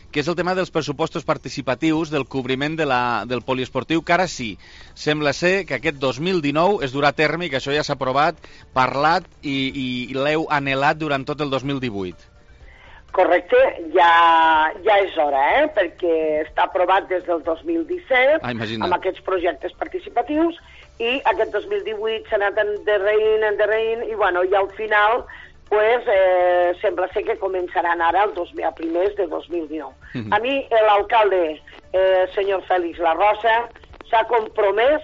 que és el tema dels pressupostos participatius del cobriment de la, del poliesportiu, que ara sí, sembla ser que aquest dos mil dinou es durà a terme i que això ja s'ha aprovat, parlat i, i l'heu anhelat durant tot el dos mil divuit. Correcte, ja, ja és hora, eh? Perquè està aprovat des del dos mil disset Ah, imagina't. amb aquests projectes participatius i aquest dos mil divuit s'ha anat endarrerint, endarrerint i bueno, i al final pues, eh, sembla ser que començaran ara el dos mil, a primers de dos mil dinou. Mhm. A mi l'alcalde, eh, senyor Fèlix La Rosa, s'ha compromès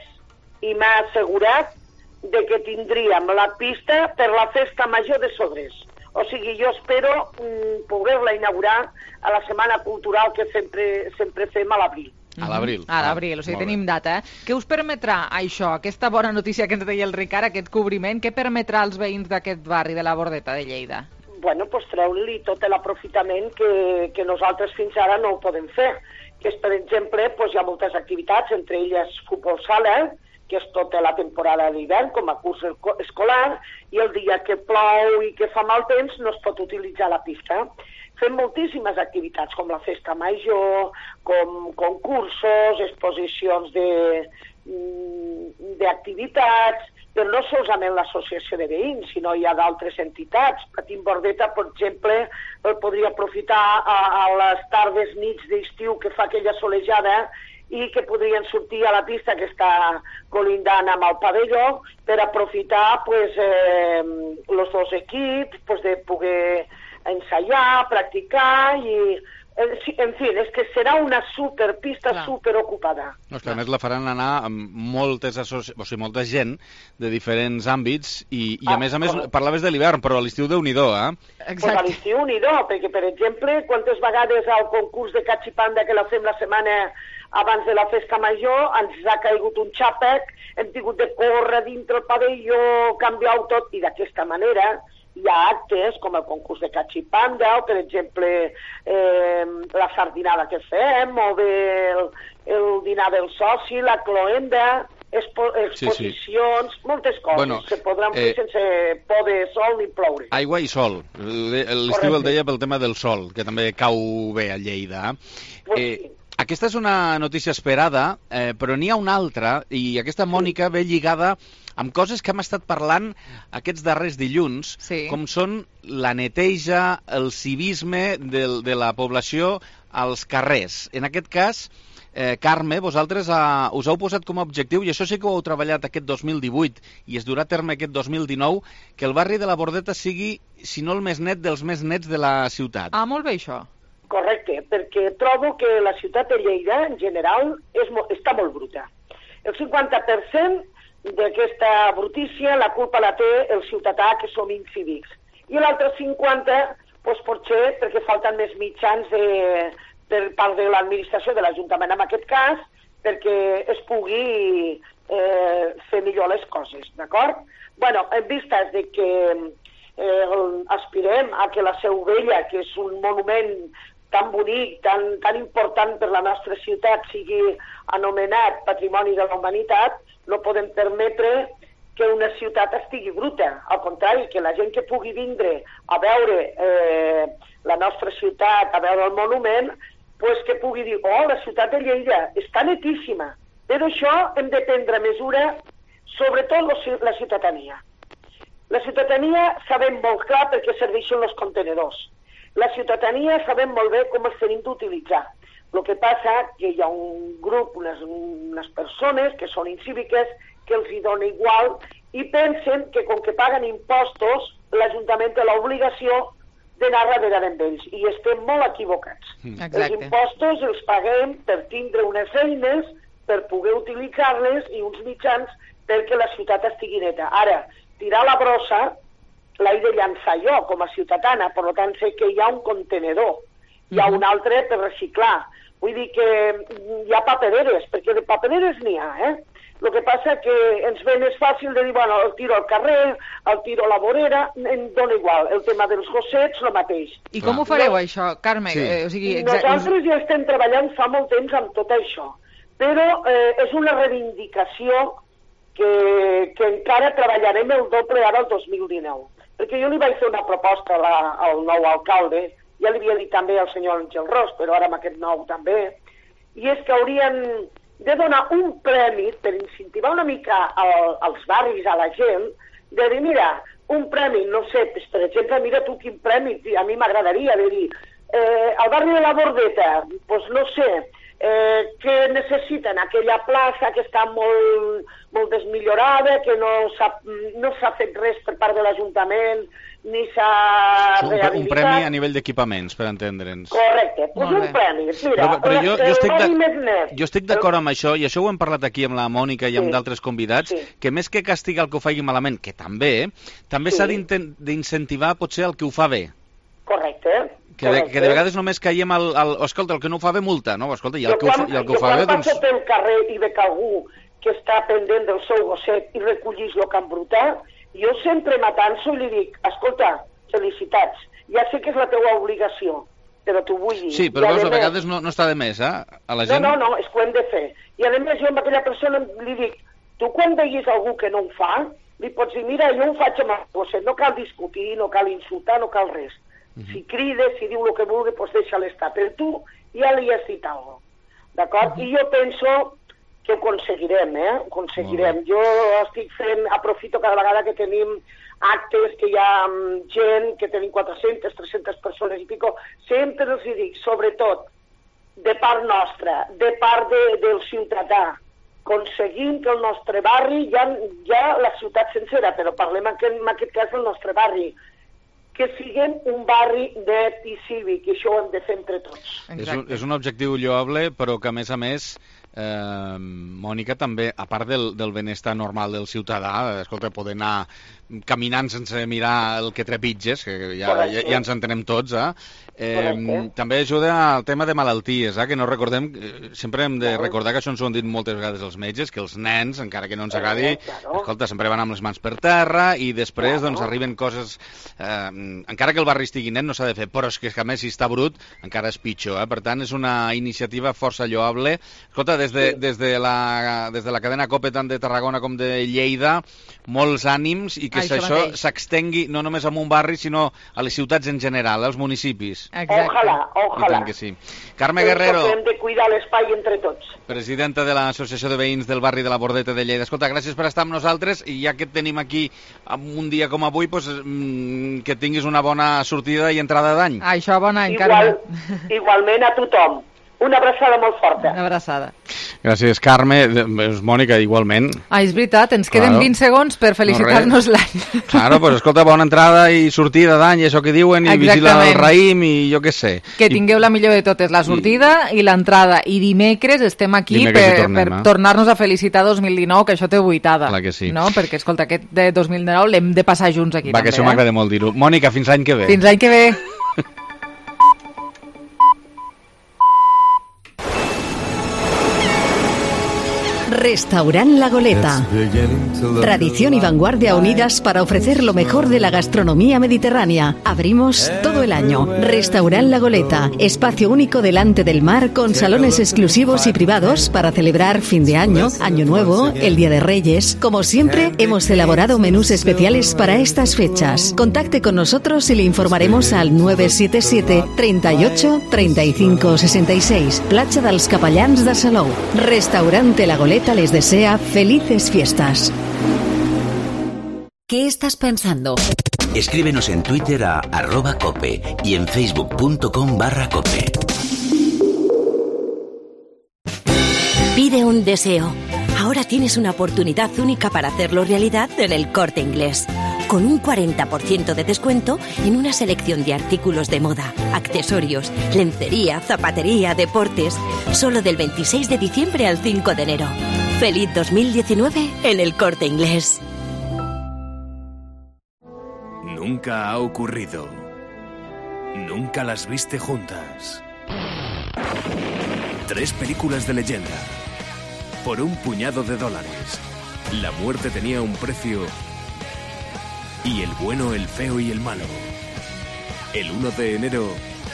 i m'ha assegurat de que tindríem la pista per la festa major de Sodres. O sigui, jo espero mm, poder-la inaugurar a la Setmana Cultural que sempre, sempre fem a l'abril. A l'abril. A l'abril, o sigui, Molt bé. tenim data. Eh? Què us permetrà això, aquesta bona notícia que ens deia el Ricard, aquest cobriment, què permetrà als veïns d'aquest barri de la Bordeta de Lleida? Bueno, pues treure-li tot l'aprofitament que, que nosaltres fins ara no ho podem fer. Que és, per exemple, pues, hi ha moltes activitats, entre elles futbol sala, que és tota la temporada d'hivern, com a curs escolar, i el dia que plou i que fa mal temps no es pot utilitzar la pista. Fem moltíssimes activitats, com la festa major, com concursos, exposicions de, d'activitats, però no solament l'associació de veïns, sinó hi ha d'altres entitats. Patim Bordeta, per exemple, el podria aprofitar a, a les tardes, nits d'estiu que fa aquella solejada i que podrien sortir a la pista que està colindant amb el pavelló per aprofitar pues, eh, els dos equips pues, de poder ensaiar, practicar i, en fi, és que serà una superpista superocupada. No, és que a més la faran anar amb moltes associ... o sigui, molta gent de diferents àmbits i, i a Ah, més a més correcte. parlaves de l'hivern, però a l'estiu Déu-n'hi-do, eh? Pues a l'estiu n'hi do, perquè, per exemple, quantes vegades al concurs de Cachipanda que la fem la setmana abans de la festa major ens ha caigut un xàpec, hem tingut de córrer dintre el pavelló, canviar-ho tot, i d'aquesta manera hi ha actes com el concurs de Cachipanda o, per exemple, eh, la sardinada que fem, o bé el, el dinar del soci, la cloenda, expo exposicions, sí, sí. moltes coses bueno, se podran fer eh, sense poder sol ni ploure. Aigua i sol. L'estiu el deia pel tema del sol, que també cau bé a Lleida. Pues eh, sí. Aquesta és una notícia esperada, eh, però n'hi ha una altra, i aquesta, Mònica, ve lligada amb coses que hem estat parlant aquests darrers dilluns, sí. com són la neteja, el civisme de, de la població als carrers. En aquest cas, eh, Carme, vosaltres uh, us heu posat com a objectiu, i això sí que ho heu treballat aquest dos mil divuit i es durà a terme aquest dos mil dinou, que el barri de la Bordeta sigui, si no el més net, dels més nets de la ciutat. Ah, molt bé això. Correcte, perquè trobo que la ciutat de Lleida, en general, és mo està molt bruta. El cinquanta per cent d'aquesta brutícia la culpa la té el ciutadà, que som incívics. I l'altre cinquanta, doncs, potser perquè falten més mitjans de, per part de l'administració de l'Ajuntament, en aquest cas, perquè es pugui eh, fer millor les coses, d'acord? Bueno, en vistes de que eh, aspirem a que la Seu Vella, que és un monument tan bonic, tan, tan important per la nostra ciutat, sigui anomenat Patrimoni de la Humanitat, no podem permetre que una ciutat estigui bruta. Al contrari, que la gent que pugui vindre a veure eh, la nostra ciutat, a veure el monument, pues que pugui dir, oh, la ciutat de Lleida està netíssima. Però això hem de prendre mesura, sobretot la ciutadania. La ciutadania sabem molt clar per què serveixen els contenedors. La ciutadania sabem molt bé com els tenim d'utilitzar. El que passa que hi ha un grup, unes, unes persones que són incíviques, que els hi dona igual i pensen que com que paguen impostos, l'Ajuntament té l'obligació d'anar darrere d'ells. I estem molt equivocats. Exacte. Els impostos els paguem per tindre unes eines, per poder utilitzar-les i uns mitjans perquè la ciutat estigui neta. Ara, tirar la brossa l'he de llançar jo com a ciutadana, per tant sé que hi ha un contenedor, hi ha un altre per reciclar. Vull dir que hi ha papereres, perquè de papereres n'hi ha, eh? El que passa que ens ve més fàcil de dir, bueno, el tiro al carrer, el tiro a la vorera, em dona igual. El tema dels gossets, el mateix. I com ho fareu, no, això, Carme? Sí. Eh, o sigui, Nosaltres ja estem treballant fa molt temps amb tot això, però eh, és una reivindicació que, que encara treballarem el doble ara el dos mil dinou. Perquè jo li vaig fer una proposta a la, al nou alcalde, ja li havia dit també al senyor Àngel Ros, però ara amb aquest nou també, i és que haurien de donar un premi per incentivar una mica al, als barris, a la gent, de dir, mira, un premi, no sé, per exemple, mira tu quin premi, a mi m'agradaria de dir, eh, al barri de la Bordeta, doncs no sé, eh, que necessiten aquella plaça que està molt, molt desmillorada, que no s'ha no s'ha fet res per part de l'Ajuntament, ni s'ha rehabilitat. Un premi a nivell d'equipaments, per entendre'ns. Correcte, doncs un premi. Mira, però, però jo, jo estic el més net. Jo estic d'acord amb això, i això ho hem parlat aquí amb la Mònica i amb sí. d'altres convidats, sí. que més que castigar el que ho faci malament, que també, també s'ha sí. d'incentivar potser el que ho fa bé. Correcte. Que de, que de vegades només caiem al, al... Escolta, el que no ho fa bé, multa, no? Escolta, i el que, quan, ho, i el que ho fa bé, doncs... Jo quan passo pel carrer i veig algú que està pendent del seu gosset i recollís el que han brutat, jo sempre m'atanso i li dic, escolta, felicitats, ja sé que és la teva obligació, però t'ho vull dir. Sí, però veus, a vegades no, no està de més, eh? A la gent... No, no, no, és que ho hem de fer. I a més jo amb aquella persona li dic, tu quan veguis algú que no ho fa, li pots dir, mira, jo ho faig amb el gosset, no cal discutir, no cal insultar, no cal res. Uh-huh. Si crida, si diu el que vulgui, doncs deixa-la estar. Però tu ja li has dit alguna cosa. D'acord? Uh-huh. I jo penso que ho aconseguirem, eh? Ho aconseguirem. Uh-huh. Jo estic fent, aprofito cada vegada que tenim actes, que hi ha gent, que tenim quatre-centes, tres-centes persones i pico, sempre els dic, sobretot, de part nostra, de part de, del ciutadà, aconseguim que el nostre barri, ja, ja la ciutat sencera, però parlem en aquest, en aquest cas del nostre barri, que siguem un barri net i cívic, i això ho hem de fer entre tots. És un, és un objectiu lloable, però que a més a més, eh, Mònica, també, a part del, del benestar normal del ciutadà, escolta, poder anar caminant sense mirar el que trepitges, que ja, ja, ja ens entenem tots, eh? Eh, també ajuda al tema de malalties, eh? Que no recordem, sempre hem de recordar que això ens ho han dit moltes vegades els metges, que els nens, encara que no ens agradi, escolta, sempre van amb les mans per terra i després doncs arriben coses, eh, encara que el barri estigui net no s'ha de fer, però és que a més si està brut encara és pitjor, eh? Per tant és una iniciativa força lloable. Escolta, des de, des de, la, des de la cadena COPE tant de Tarragona com de Lleida, molts ànims i que Això això mateix. s'extengui no només a un barri, sinó a les ciutats en general, als municipis. Exacte. Ojalà, I ojalà. tant que sí. Carme Guerrero, Hem de cuidar l'espai entre tots. presidenta de l'Associació de Veïns del barri de la Bordeta de Lleida. Escolta, gràcies per estar amb nosaltres i ja que et tenim aquí un dia com avui, doncs, que tinguis una bona sortida i entrada d'any. Això, bon any, Igual, Carme. igualment a tothom. Una abraçada molt forta. Una abraçada. Gràcies, Carme. Mònica, igualment. Ah, és veritat, ens queden Claro. vint segons per felicitar-nos No, l'any. Claro, pues escolta, bona entrada i sortida d'any, això que diuen, i vigila el raïm i jo què sé. Que tingueu la millor de totes, la sortida i l'entrada. I dimecres estem aquí Dimecres hi per, tornem, per eh? tornar-nos a felicitar dos mil dinou, que això té vuitada. Clar que sí. No? Perquè, escolta, aquest de dos mil dinou l'hem de passar junts aquí. Va, també, que això eh? m'agrada molt dir-ho. Mònica, fins l'any que ve. Fins l'any que ve. Restaurant La Goleta. Tradición y vanguardia unidas para ofrecer lo mejor de la gastronomía mediterránea. Abrimos todo el año. Restaurant La Goleta. Espacio único delante del mar con salones exclusivos y privados para celebrar fin de año, Año Nuevo, el Día de Reyes. Como siempre, hemos elaborado menús especiales para estas fechas. Contacte con nosotros y le informaremos al nueve siete siete, treinta y ocho, treinta y cinco, sesenta y seis. Platja dels Capellans de Salou. Restaurante La Goleta les desea felices fiestas. ¿Qué estás pensando? Escríbenos en Twitter a arroba cope y en facebook.com barra cope. Pide un deseo. Ahora tienes una oportunidad única para hacerlo realidad en El Corte Inglés. Con un cuarenta por ciento de descuento en una selección de artículos de moda, accesorios, lencería, zapatería, deportes. Solo del veintiséis de diciembre al cinco de enero. Feliz dos mil diecinueve en El Corte Inglés. Nunca ha ocurrido. Nunca las viste juntas. Tres películas de leyenda. Por un puñado de dólares. La muerte tenía un precio. Y el bueno, el feo y el malo. El uno de enero,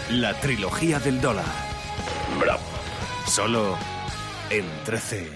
la trilogía del dólar. Bravo. Solo en trece.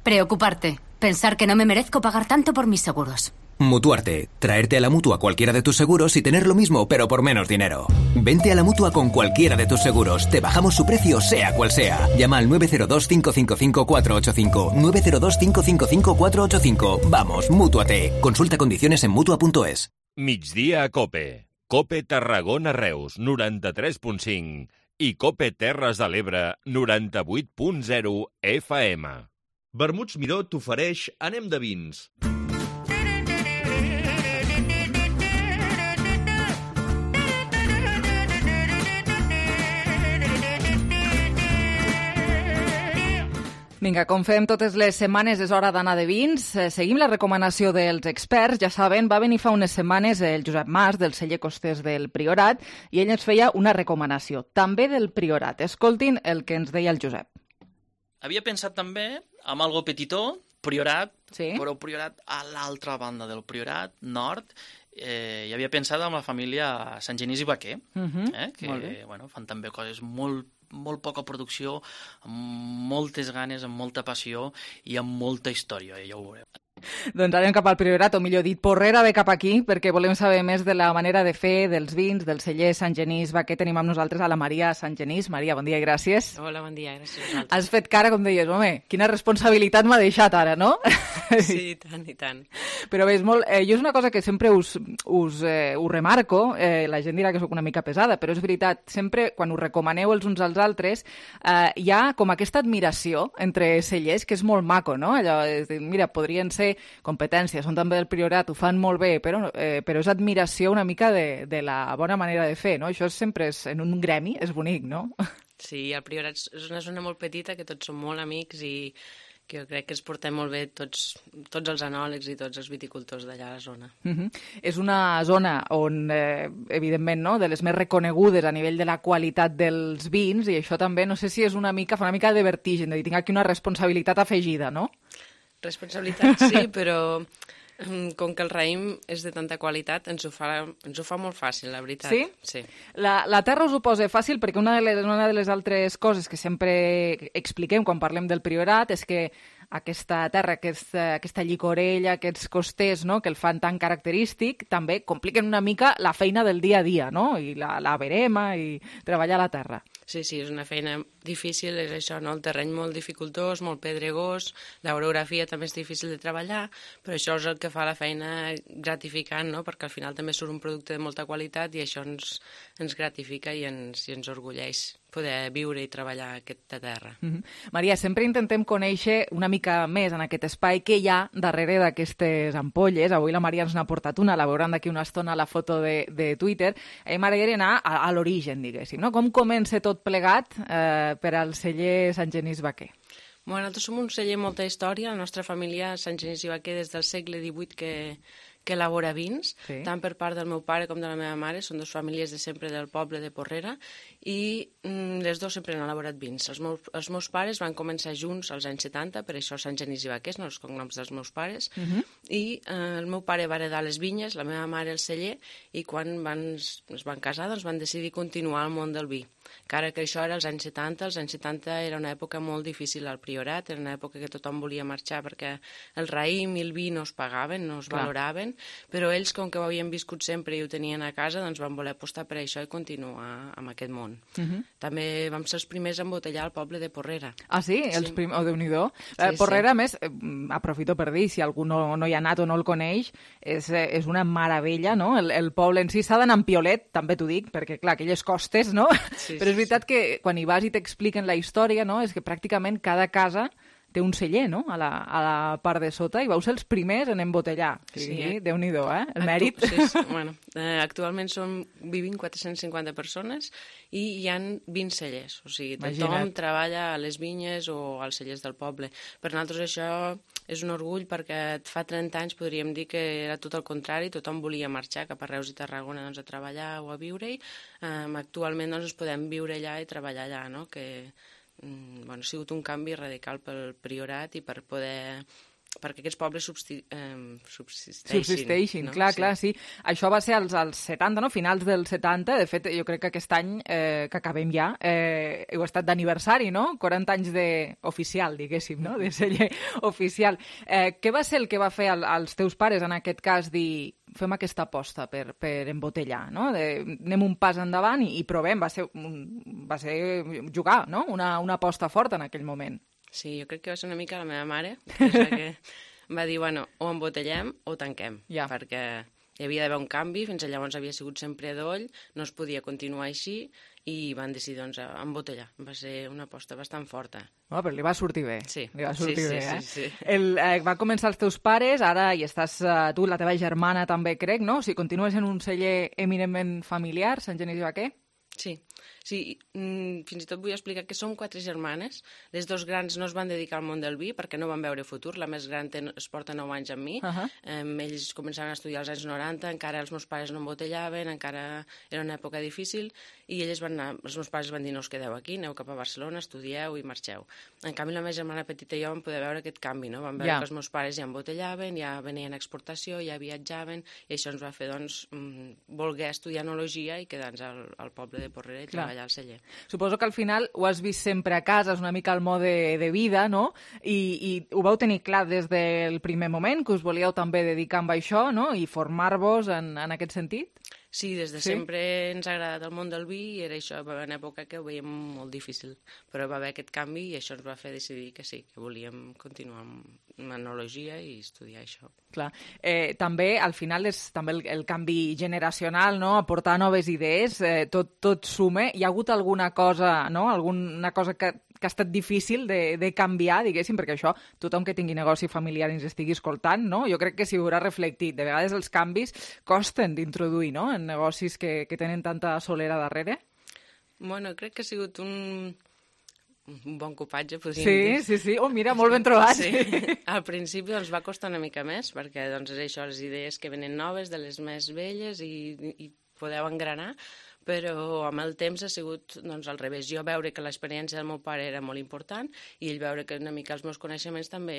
Preocuparte. Pensar que no me merezco pagar tanto por mis seguros. Mutuarte. Traerte a la Mutua cualquiera de tus seguros y tener lo mismo, pero por menos dinero. Vente a la Mutua con cualquiera de tus seguros. Te bajamos su precio, sea cual sea. Llama al nueve cero dos, cinco cinco cinco, cuatro ocho cinco. nueve cero dos, cinco cinco cinco, cuatro ocho cinco. Vamos, Mútuate. Consulta condiciones en Mutua punto es. Migdia a Cope. Cope Tarragona Reus, noranta-tres punt cinc. I Cope Terres de l'Ebre, noranta-vuit punt zero F M. Vermuts Miró t'ofereix Anem de vins. Vinga, com fem totes les setmanes, és hora d'anar de vins. Eh, seguim la recomanació dels experts. Ja saben, va venir fa unes setmanes el Josep Mas, del celler Costers del Priorat, i ell ens feia una recomanació, també del Priorat. Escoltin el que ens deia el Josep. Havia pensat també en algo petitó, Priorat, sí? Però Priorat a l'altra banda del Priorat, nord, eh, i havia pensat en la família Sant Genís i Baquer, Uh-huh. eh, que bueno, fan també coses molt molt poca producció, amb moltes ganes, amb molta passió i amb molta història, ja ho veureu. Doncs anem cap al Priorat, o millor dit, Porrera ve cap aquí, perquè volem saber més de la manera de fer, dels vins, del celler Sant Genís Baquer. Tenim amb nosaltres a la Maria Sant Genís. Maria, bon dia i gràcies. Hola, bon dia, gràcies a vosaltres. Has fet cara, com deies, home, quina responsabilitat m'ha deixat ara, no? Sí, i tant, i tant. Però bé, és molt... Eh, jo és una cosa que sempre us, us, eh, us remarco, eh, la gent dirà que sóc una mica pesada, però és veritat, sempre quan us recomaneu els uns als altres, eh, hi ha com aquesta admiració entre cellers, que és molt maco, no? Allò, és dir, mira, podrien ser competències, són també del Priorat, ho fan molt bé, però, eh, però és admiració una mica de, de la bona manera de fer, no? Això sempre és, en un gremi és bonic, no? Sí, el Priorat és una zona molt petita, que tots som molt amics i que jo crec que ens portem molt bé tots, tots els enòlegs i tots els viticultors d'allà a la zona. Uh-huh. És una zona on, eh, evidentment, no, de les més reconegudes a nivell de la qualitat dels vins, i això també, no sé si és una mica, fa una mica de vertigen, de dir, tinc aquí una responsabilitat afegida, no? Responsabilitat sí, però Com que el raïm és de tanta qualitat, ens ho fa, ens ho fa molt fàcil, la veritat. Sí? Sí. La, la terra us ho posa fàcil perquè una de, les, una de les altres coses que sempre expliquem quan parlem del Priorat és que aquesta terra, aquesta, aquesta llicorella, aquests costers, no?, que el fan tan característic, també compliquen una mica la feina del dia a dia, no?, i la, la verema i treballar la terra. Sí, sí, és una feina difícil, és això, no? El terreny molt dificultós, molt pedregós, l'orografia també és difícil de treballar, però això és el que fa la feina gratificant, no? Perquè al final també surt un producte de molta qualitat i això ens, ens gratifica i ens, i ens orgulleix poder viure i treballar aquesta terra. Mm-hmm. Maria, sempre intentem conèixer una mica més en aquest espai què hi ha darrere d'aquestes ampolles. Avui la Maria ens n'ha portat una, la veuran d'aquí una estona a la foto de, de Twitter. A mi m'agradaria anar a, a l'origen, diguéssim, no? Com comença tot plegat eh, per al celler Sant Genís Vaquer? Bueno, nosaltres som un celler amb molta història. La nostra família, Sant Genís i Vaquer, des del segle divuit que, que elabora vins, sí. Tant per part del meu pare com de la meva mare. Són dues famílies de sempre del poble de Porrera i mm, les dues sempre han elaborat vins. Els meus, els meus pares van començar junts als anys setanta, per això Sant Genís i Vaquer, no els cognoms dels meus pares, uh-huh. i eh, el meu pare va heredar les vinyes, la meva mare el celler, i quan van, es van casar doncs van decidir continuar al món del vi. Encara que això era als anys setanta, els anys setanta era una època molt difícil al Priorat, era una època que tothom volia marxar perquè el raïm i el vi no es pagaven, no es Clar. valoraven, però ells, com que ho havien viscut sempre i ho tenien a casa, doncs van voler apostar per això i continuar amb aquest món. Uh-huh. També vam ser els primers a embotellar al poble de Porrera. Ah, sí? sí. Els prim... Oh, Déu-n'hi-do. Sí, eh, Porrera, sí. a més, eh, aprofito per dir, si algú no, no hi ha anat o no el coneix, és, eh, és una meravella, no? El, el poble en si s'ha d'anar amb piolet, també t'ho dic, perquè, clar, aquelles costes, no? Sí, però és veritat que quan hi vas i t'expliquen la història, no?, és que pràcticament cada casa té un celler, no?, a la, a la part de sota, i vau ser els primers en embotellar. Sí, sí eh? Déu-n'hi-do, eh? El Actu mèrit. Sí, sí. Bueno, eh, actualment som, vivim quatre-cents cinquanta persones i hi ha vint cellers. O sigui, tothom Imagina't. treballa a les vinyes o als cellers del poble. Per nosaltres això és un orgull perquè fa trenta anys podríem dir que era tot el contrari, tothom volia marxar cap a Reus i Tarragona doncs, a treballar o a viure-hi. Um, actualment doncs, podem viure allà i treballar allà, no?, que Bueno, ha sigut un canvi radical pel Priorat i per poder perquè aquests pobles substi eh, subsisteixin. Subsisteixin, no? clar, sí. clar, sí. Això va ser als, als setanta, no? Finals dels setanta. De fet, jo crec que aquest any eh, que acabem ja, eh, heu estat d'aniversari, no? quaranta anys de oficial, diguéssim, no? De celler oficial. Eh, què va ser el que va fer al, als teus pares, en aquest cas, dir fem aquesta aposta per, per embotellar, no? De, anem un pas endavant i, i provem. Va ser, un, va ser jugar, no? Una, una aposta forta en aquell moment. Sí, jo crec que va ser una mica la meva mare, que va dir, bueno, o embotellem o tanquem, ja. perquè hi havia d'haver un canvi, fins llavors havia sigut sempre doll, no es podia continuar així, i van decidir, doncs, embotellar. Va ser una aposta bastant forta. No, però li va sortir bé. Sí. Li va sortir sí, bé, sí, eh? sí, sí. El, eh, va començar els teus pares, ara hi estàs eh, tu, la teva germana també, crec, no? O sigui, continues en un celler eminentment familiar, Sant Genís i Vaquer? Sí, sí, mm, fins i tot vull explicar que som quatre germanes. Les dos grans no es van dedicar al món del vi perquè no van veure futur. La més gran ten, es porta nou anys amb mi. Uh -huh. eh, ells començaven a estudiar als anys noranta, encara els meus pares no embotellaven, encara era una època difícil, i elles van anar, els meus pares van dir no us quedeu aquí, aneu cap a Barcelona, estudieu i marxeu. En canvi, la meva germana petita i jo vam poder veure aquest canvi, no? Vam veure yeah. que els meus pares ja embotellaven, ja venien a exportació, ja viatjaven, i això ens va fer, doncs, voler estudiar enologia i quedar-nos al, al poble de Porrera i treballar al celler. Suposo que al final ho has vist sempre a casa, és una mica el mode de vida, no? I, i ho vau tenir clar des del primer moment, que us volíeu també dedicar amb això, no? I formar-vos en, en aquest sentit? Sí, des de sí? sempre ens ha agradat el món del vi i era això, va haver una època que ho veiem molt difícil, però va haver aquest canvi i això ens va fer decidir que sí, que volíem continuar amb enologia i estudiar això. Clar. Eh, també, al final, és també el, el canvi generacional, no? Aportar noves idees, eh, tot, tot suma. Hi ha hagut alguna cosa, no? Alguna cosa que, que ha estat difícil de, de canviar, diguéssim, perquè això, tothom que tingui negoci familiar i ens estigui escoltant, no? Jo crec que s'hi haurà reflectit. De vegades els canvis costen d'introduir, no?, en negocis que, que tenen tanta solera darrere. Bueno, crec que ha sigut un... un bon copatge, podríem sí, dir. Sí, sí, sí. Oh, mira, molt ben trobat. Sí. Al principi doncs, va costar una mica més, perquè doncs, és això, les idees que venen noves, de les més velles, i, i podeu engranar, però amb el temps ha sigut doncs, al revés. Jo veure que l'experiència del meu pare era molt important i ell veure que una mica els meus coneixements també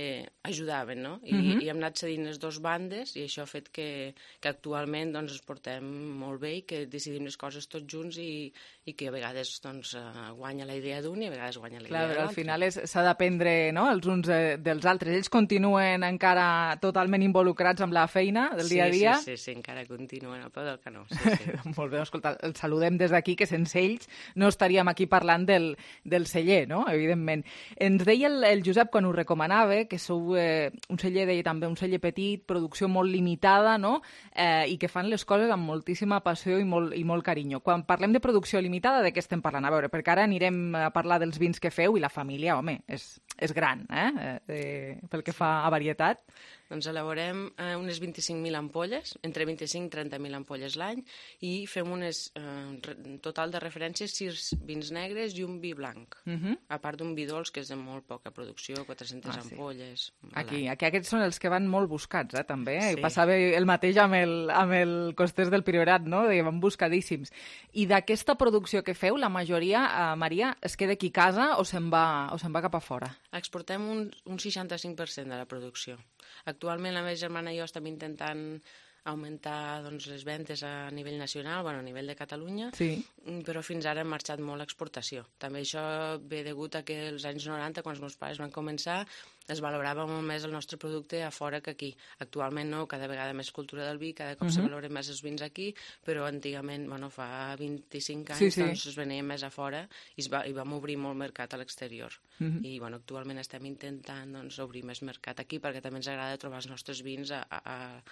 ajudaven, no? I, Mhm. i hem anat cedint les dues bandes i això ha fet que, que actualment doncs, ens portem molt bé i que decidim les coses tots junts i, i que a vegades doncs, uh, guanya la idea d'un i a vegades guanya la Clar, idea de però al l'altre. final és- s'ha d'aprendre, no?, els uns eh, dels altres. Ells continuen encara totalment involucrats amb la feina del dia a dia. Sí, sí, sí, sí, encara continuen al peu del canó. Sí, sí. Molt bé, escolta, els saludem des d'aquí, que sense ells no estaríem aquí parlant del, del celler, no?, evidentment. Ens deia el, el Josep, quan ho recomanava, que sou eh, un celler, deia també, un celler petit, producció molt limitada, no?, eh, i que fan les coses amb moltíssima passió i molt, i molt carinyo. Quan parlem de producció limitada, de què estem parlant? A veure, perquè ara anirem a parlar dels vins que feu i la família, home, és, és gran, eh, eh, pel que fa a varietat. Doncs elaborem eh, unes vint-i-cinc mil ampolles, entre vint-i-cinc i trenta mil ampolles l'any, i fem unes, eh, re- total de referències, sis vins negres i un vi blanc, Mhm. a part d'un vi dolç, que és de molt poca producció, quatre-centes Ah, sí. ampolles. a Aquí, l'any. aquí aquests són els que van molt buscats, eh, també. Eh? Sí. I passava el mateix amb el, amb el Costers del Priorat, no? Deia, van buscadíssims. I d'aquesta producció que feu, la majoria, eh, Maria, es queda aquí a casa o se'n va, o se'n va cap a fora? Exportem un, un seixanta-cinc per cent de la producció. Actualment la meva germana i jo estem intentant augmentar doncs, les ventes a nivell nacional, bueno, a nivell de Catalunya, Sí. mm, però fins ara hem marxat molt a exportació. També això ve degut a que als anys noranta, quan els meus pares van començar, es valorava molt més el nostre producte a fora que aquí. Actualment no, cada vegada més cultura del vi, cada cop uh -huh. se Mhm. valoren més els vins aquí, però antigament, bueno, fa vint-i-cinc anys, Sí, sí. doncs es venien més a fora i, es va, i vam obrir molt mercat a l'exterior. Mhm. I bueno, actualment estem intentant doncs, obrir més mercat aquí perquè també ens agrada trobar els nostres vins a, a, a,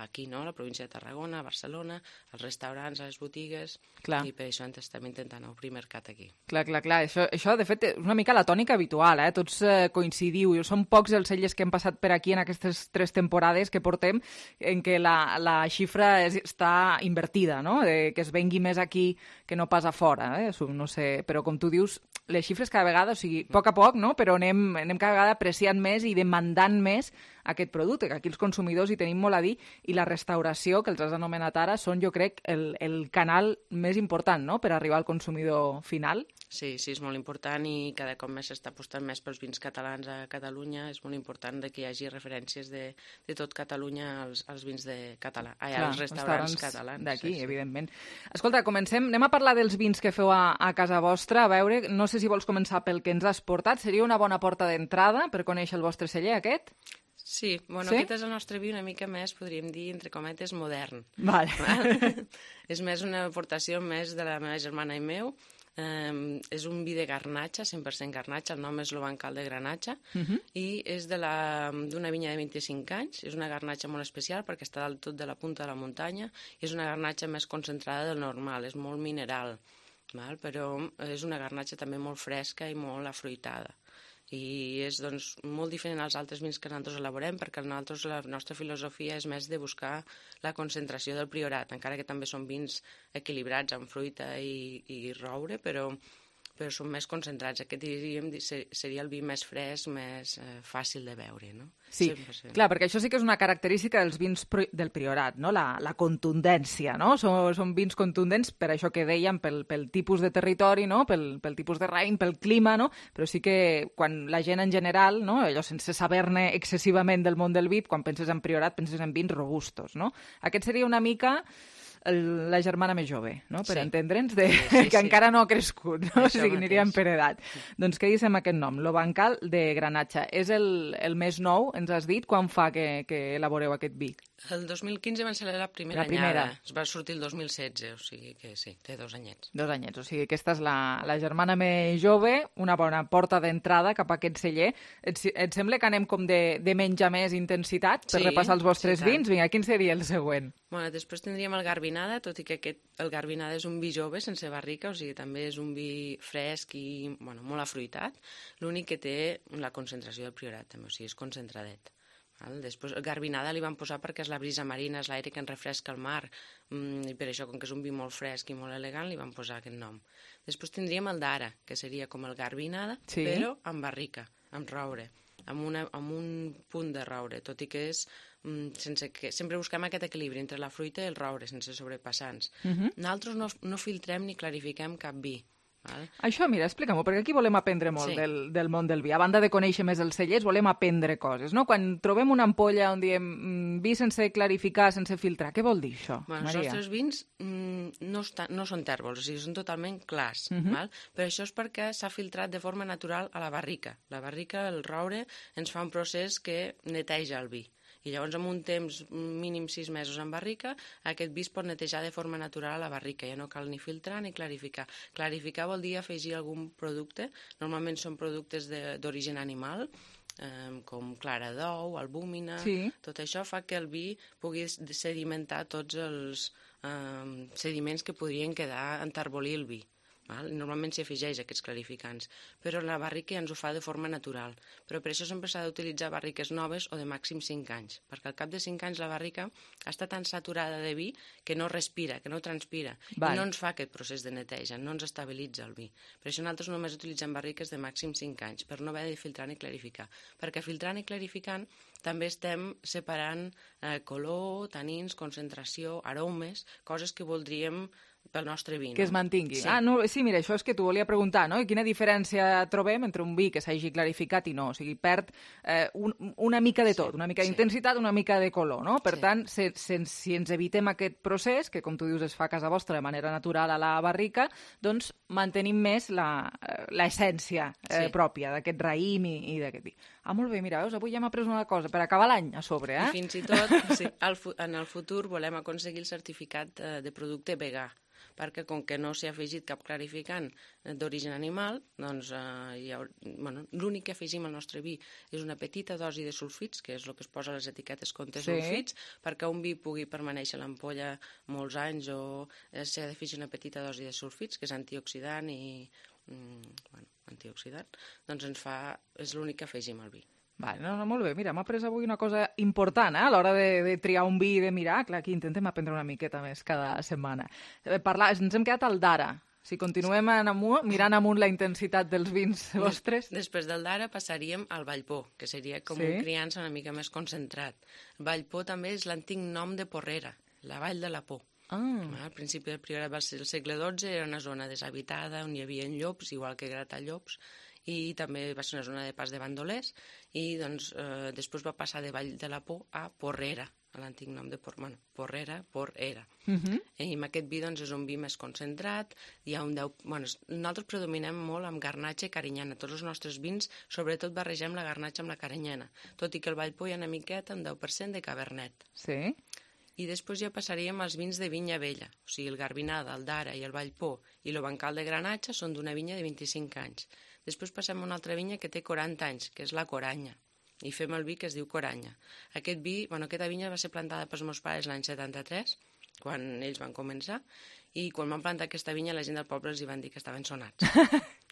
aquí, no? A la província de Tarragona, a Barcelona, als restaurants, a les botigues, Clar. i per això ens estem intentant obrir mercat aquí. Clar, clar, clar. Això, això, de fet, és una mica la tònica habitual, eh? Tots eh, coincidiu. Són pocs els cellers que hem passat per aquí en aquestes tres temporades que portem en què la, la xifra és, està invertida, no? De, que es vengui més aquí que no pas a fora, eh? No sé, però com tu dius, les xifres cada vegada, o sigui, a poc a poc, no? Però anem, anem cada vegada apreciant més i demandant més aquest producte, que aquí els consumidors hi tenim molt a dir, i la restauració, que els has anomenat ara, són, jo crec, el, el canal més important, no?, per arribar al consumidor final. Sí, sí, és molt important i cada cop més s'està apostant més pels vins catalans a Catalunya. És molt important que hi hagi referències de, de tot Catalunya als, als vins de català, ai, Clar, als restaurants, catalans. d'aquí, sí, sí. evidentment. Escolta, comencem, anem a parlar dels vins que feu a, a casa vostra, a veure, no sé si vols començar pel que ens has portat, seria una bona porta d'entrada per conèixer el vostre celler, aquest? Sí, bueno, Sí? aquest és el nostre vi una mica més, podríem dir, entre cometes, modern. Vale. Val? És més una aportació més de la meva germana i meu. Um, és un vi de garnatxa, cent per cent garnatxa, el nom és l'Obancal de Granatxa, Mhm. i és de la- d'una vinya de vint-i-cinc anys. És una garnatxa molt especial perquè està dalt tot de la punta de la muntanya i és una garnatxa més concentrada del normal, és molt mineral, val? Però és una garnatxa també molt fresca i molt afruitada. I és doncs, molt diferent als altres vins que nosaltres elaborem, perquè nosaltres la nostra filosofia és més de buscar la concentració del priorat, encara que també són vins equilibrats amb fruita i, i roure, però, però són més concentrats. Aquest diríem seria el vi més fresc, més eh, fàcil de beure, no? Sí, cent per cent. clar, perquè això sí que és una característica dels vins pri- del Priorat, no? La, la contundència, no? Són, són vins contundents per això que dèiem, pel, pel tipus de territori, no? Pel, pel tipus de raïm, pel clima, no? Però sí que quan la gent en general, no? Allò sense saber-ne excessivament del món del vi, quan penses en Priorat penses en vins robustos, no? Aquest seria una mica el, la germana més jove, no? Per Sí. entendre'ns, de, Sí, sí, que sí. encara no ha crescut, no? O Això sigui, aniríem mateix. per edat. Doncs què dissem aquest nom? L'Obancal de Granatxa. És el, el més nou, ens has dit? Quan fa que, que elaboreu aquest vi? El dos mil quinze van ser la primera, La primera. anyada. Es va sortir el dos mil setze, o sigui que sí, té dos anyets. Dos anyets, o sigui, aquesta és la, la germana més jove, una bona porta d'entrada cap a aquest celler. Et, et sembla que anem com de, de menys a més intensitat per Sí, repassar els vostres sí, tant. vins? Vinga, quin seria el següent? Bueno, després tindríem el Garbinada, tot i que aquest, el Garbinada és un vi jove, sense barrica, o sigui, també és un vi fresc i bueno, molt afruitat. L'únic que té la concentració del Priorat, també, o sigui, és concentradet. Val? Després, el Garbinada li van posar perquè és la brisa marina, és l'aire que ens refresca el mar, mm, i per això, com que és un vi molt fresc i molt elegant, li van posar aquest nom. Després tindríem el d'ara, que seria com el Garbinada, Sí. però amb barrica, amb roure, amb, una, amb un punt de roure, tot i que és sense que, sempre busquem aquest equilibri entre la fruita i el roure, sense sobrepassar-nos. Uh -huh. Nosaltres no, no filtrem ni clarifiquem cap vi. Val? Això, mira, explica-m'ho, perquè aquí volem aprendre molt Sí. del, del món del vi. A banda de conèixer més els cellers, volem aprendre coses, no? Quan trobem una ampolla on diem mm, vi sense clarificar, sense filtrar, què vol dir això, Bueno, els Maria? nostres vins mm, no, està, no són tèrbols, o sigui, són totalment clars, Mhm. val? Però això és perquè s'ha filtrat de forma natural a la barrica. La barrica, el roure, ens fa un procés que neteja el vi. I llavors, amb un temps mínim sis mesos en barrica, aquest vi es pot netejar de forma natural a la barrica. Ja no cal ni filtrar ni clarificar. Clarificar vol dir afegir algun producte. Normalment són productes de- d'origen animal, eh, com clara d'ou, albúmina... Sí. Tot això fa que el vi pugui sedimentar tots els eh, sediments que podrien quedar enterbolir el vi. Val? Normalment s'hi afegeix aquests clarificants, però la barrica ja ens ho fa de forma natural. Però per això sempre s'ha d'utilitzar barriques noves o de màxim cinc anys, perquè al cap de cinc anys la barrica està tan saturada de vi que no respira, que no transpira, Val. i no ens fa aquest procés de neteja, no ens estabilitza el vi. Per això nosaltres només utilitzem barriques de màxim cinc anys, per no haver de filtrar ni clarificar. Perquè filtrant i clarificant també estem separant eh, color, tanins, concentració, aromes, coses que voldríem pel nostre vi. No? Que es mantingui. Sí. Ah, no, sí, mira, això és que t'ho volia preguntar, no? I quina diferència trobem entre un vi que s'hagi clarificat i no? O sigui, perd eh, un, una mica de tot, una mica sí. d'intensitat, una mica de color, no? Per Sí. tant, se, se, si ens evitem aquest procés, que com tu dius es fa a casa vostra de manera natural a la barrica, doncs mantenim més la- eh, l'essència eh, Sí. pròpia d'aquest raïm i, i d'aquest vi. Ah, molt bé, mira, veus, avui ja hem après una cosa, per acabar l'any a sobre, eh? I fins i tot, sí, al fu en el futur volem aconseguir el certificat eh, de producte vegà, perquè com que no s'hi ha afegit cap clarificant d'origen animal, doncs eh, hi ha, bueno, l'únic que afegim al nostre vi és una petita dosi de sulfits, que és el que es posa a les etiquetes contra Sí. sulfits, perquè un vi pugui permanèixer a l'ampolla molts anys o eh, s'ha d'afegir una petita dosi de sulfits, que és antioxidant i mm, bueno, antioxidant, doncs ens fa, és l'únic que afegim al vi. Vale, no, no, molt bé. Mira, m'ha après avui una cosa important eh? A l'hora de, de triar un vi i de mirar. Clar, aquí intentem aprendre una miqueta més cada setmana. Eh, Parlar, ens hem quedat al d'ara. Si continuem en amunt, mirant amunt la intensitat dels vins vostres... Després del d'ara passaríem al Vallpó, que seria com Sí. un criança una mica més concentrat. Vallpó també és l'antic nom de Porrera, la Vall de la Por. Ah. Al principi del Priorat va ser el segle dotze, era una zona deshabitada on hi havia llops, igual que Gratallops, i també va ser una zona de pas de bandolers, i doncs, eh, després va passar de Vall de la Por a Porrera, a l'antic nom de Por, bueno, Porrera, Porrera. Uh -huh. I amb aquest vi doncs, és un vi més concentrat, hi ha un deu... Bueno, nosaltres predominem molt amb garnatxa i carinyana. Tots els nostres vins, sobretot, barregem la garnatxa amb la carinyana, tot i que el Vallpó hi ha una miqueta, un deu per cent de cabernet. Sí. I després ja passaríem als vins de vinya vella, o sigui, el Garbinada, el Dara i el Vallpó i el Bancal de Granatxa són d'una vinya de vint-i-cinc anys. Després passem a una altra vinya que té quaranta anys, que és la Coranya, i fem el vi que es diu Coranya. Aquest vi, bueno, aquesta vinya va ser plantada pels meus pares l'any setanta-tres, quan ells van començar, i quan van plantar aquesta vinya la gent del poble els hi van dir que estaven sonats.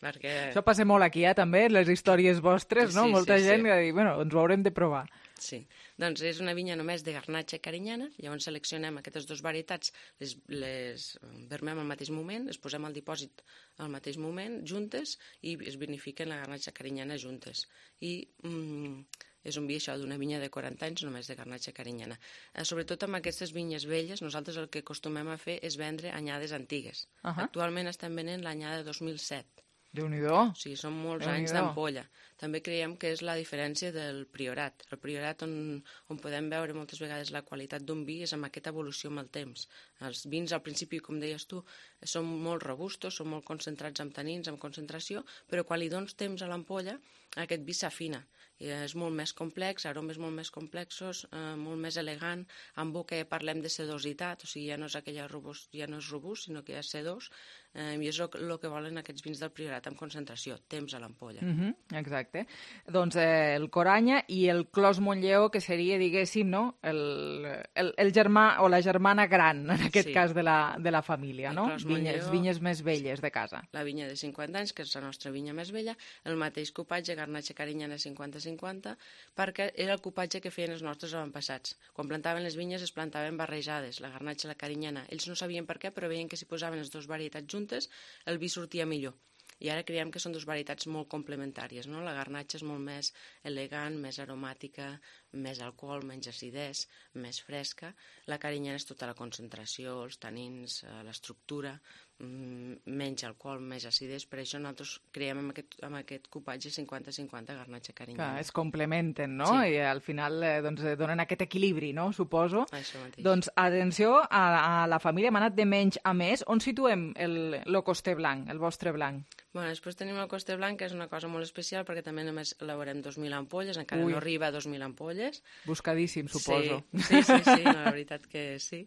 perquè... Això passa molt aquí, eh, també, les històries vostres, no? Sí, Molta sí, gent sí. que diu, bueno, ens ho haurem de provar. Sí, doncs és una vinya només de garnatxa i carinyana, llavors seleccionem aquestes dues varietats, les, les vermem al mateix moment, les posem al dipòsit al mateix moment, juntes, i es vinifiquen la garnatxa i carinyana juntes. I mm, és un vi, això, d'una vinya de quaranta anys, només de garnatxa i carinyana. Eh, sobretot amb aquestes vinyes velles, nosaltres el que acostumem a fer és vendre anyades antigues. Uh -huh. Actualment estem venent l'anyada de dos mil set. Déu-n'hi-do. O sigui, són molts Déu-n'hi-do. anys d'ampolla. També creiem que és la diferència del Priorat. El Priorat, on, on podem veure moltes vegades la qualitat d'un vi, és amb aquesta evolució amb el temps. Els vins, al principi, com deies tu, són molt robustos, són molt concentrats amb tanins, amb concentració, però quan li dones temps a l'ampolla, aquest vi s'afina. I és molt més complex, aromes molt més complexos, eh, molt més elegant. En boca ja parlem de sedositat, o sigui, ja no és aquella robust, ja no és robust, sinó que ja és sedós, eh, i és el que volen aquests vins del Priorat amb concentració, temps a l'ampolla. Uh -huh, exacte. Doncs eh, el Coranya i el Clos Montlleó, que seria, diguéssim, no? el, el, el germà o la germana gran, en aquest Sí. cas, de la, de la família, El no? Clos Vinyes, Montlleó. vinyes més velles de casa. La vinya de cinquanta anys, que és la nostra vinya més vella, el mateix cupatge, garnatxa carinyana cinquanta cinquanta, perquè era el cupatge que feien els nostres avantpassats. Quan plantaven les vinyes es plantaven barrejades, la garnatxa i la carinyana. Ells no sabien per què, però veien que si posaven les dues varietats juntes el vi sortia millor. i ara creiem que són dues varietats molt complementàries, no? La garnatxa és molt més elegant, més aromàtica, més alcohol, menys acidès, més fresca. La carinyena és tota la concentració, els tanins, l'estructura, menys alcohol, més acidès. Per això nosaltres creiem amb aquest, amb aquest cupatge cinquanta cinquanta garnatxa carinyena. Es complementen, no? Sí. I al final eh, doncs, donen aquest equilibri, no? Suposo. Això mateix. Doncs atenció, a, a la família hem anat de menys a més. On situem el, el coster blanc, el vostre blanc? Bueno, després tenim el coster blanc, que és una cosa molt especial, perquè també només elaborem dos mil ampolles, encara Ui. no arriba a dos mil ampolles. Buscadíssim, suposo. Sí, sí, sí, sí, no, la veritat que sí.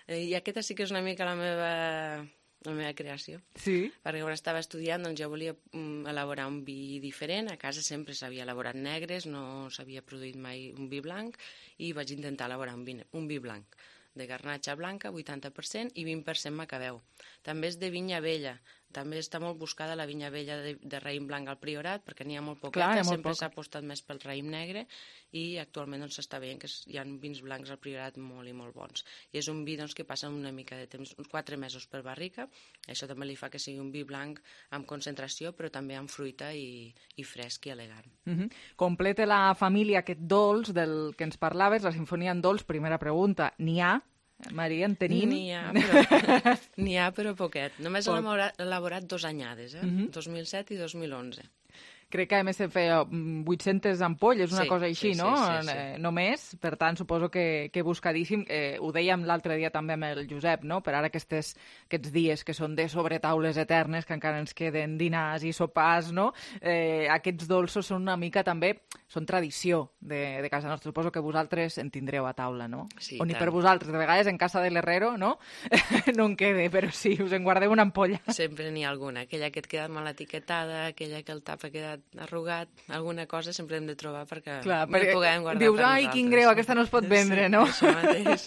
I aquesta sí que és una mica la meva, la meva creació. Sí. Perquè quan estava estudiant doncs, jo volia um, elaborar un vi diferent. A casa sempre s'havia elaborat negres, no s'havia produït mai un vi blanc, i vaig intentar elaborar un vi, un vi blanc de garnatxa blanca, vuitanta per cent, i vint per cent macabeu. També és de vinya vella. També està molt buscada la vinya vella de, de raïm blanc al Priorat, perquè n'hi ha molt poqueta. Clar, sempre poc. s'ha apostat més pel raïm negre, i actualment doncs, s'està veient que hi ha vins blancs al Priorat molt i molt bons. I és un vi doncs, que passa una mica de temps, uns quatre mesos per barrica. Això també li fa que sigui un vi blanc amb concentració, però també amb fruita i, i fresc i elegant. Uh-huh. Completa la família aquest dolç del que ens parlaves, la sinfonia en dolç. Primera pregunta, n'hi ha? Maria, en tenim? N'hi ha, però, n'hi ha, però poquet. Només Poc. hem elaborat, elaborat dos anyades, eh? Uh-huh. dos mil set i dos mil onze. Crec que a més se feia vuit-centes ampolles, una Sí, cosa així, sí, no? sí, sí, sí. Eh, només, per tant, suposo que, que buscadíssim. Eh, ho dèiem l'altre dia també amb el Josep, no? Per ara aquestes, aquests dies que són de sobretaules eternes, que encara ens queden dinars i sopars, no? Eh, aquests dolços són una mica també, són tradició de, de casa nostra. Suposo que vosaltres en tindreu a taula, no? Sí, o ni tant. per vosaltres, de vegades en casa de l'herrero, no? No en quede, però sí, us en guardeu una ampolla. Sempre n'hi ha alguna. Aquella que et queda mal etiquetada, aquella que el tap ha quedat arrugat, alguna cosa sempre hem de trobar perquè Clar, no hi puguem guardar dius, per ai, nosaltres. quin greu, aquesta no es pot vendre, sí, no? Això mateix.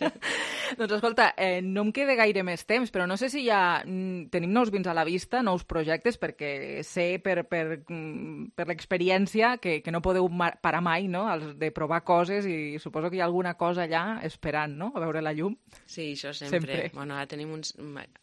Doncs escolta, eh, no em queda gaire més temps, però no sé si ja mm, tenim nous vins a la vista, nous projectes, perquè sé per, per, mm, per l'experiència que, que no podeu parar mai, no?, Els de provar coses, i suposo que hi ha alguna cosa allà esperant, no?, a veure la llum. Sí, això sempre. Sempre. Bueno, ara tenim uns,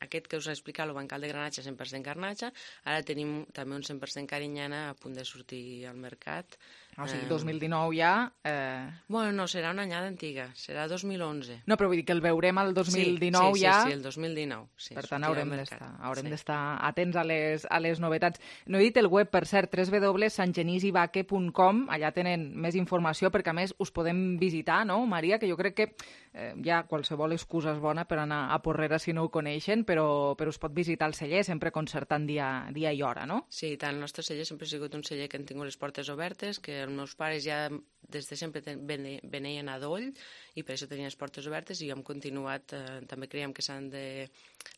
aquest que us he explicat, el bancal de granatxa, cent per cent garnatxa, ara tenim també un cent per cent carinyana a punt de sortir al mercat. O sigui, dos mil dinou ja... Eh... Bueno, no, serà una anyada antiga, serà dos mil onze. No, però vull dir que el veurem al dos mil dinou sí, sí, ja... Sí, sí, el dos mil dinou. Sí, per tant, haurem d'estar haurem sí. d'estar atents a les, a les novetats. No he dit el web, per cert, w w w punt sant genís i vaque punt com, allà tenen més informació, perquè a més us podem visitar, no, Maria? Que jo crec que eh, ja qualsevol excusa és bona per anar a Porrera si no ho coneixen, però, però us pot visitar el celler, sempre concertant dia, dia i hora, no? Sí, tant, el nostre celler sempre ha sigut un celler que han tingut les portes obertes, que els meus pares ja des de sempre veneien a Doll, i per això tenien les portes obertes, i hem continuat, eh, també creiem que s'han de...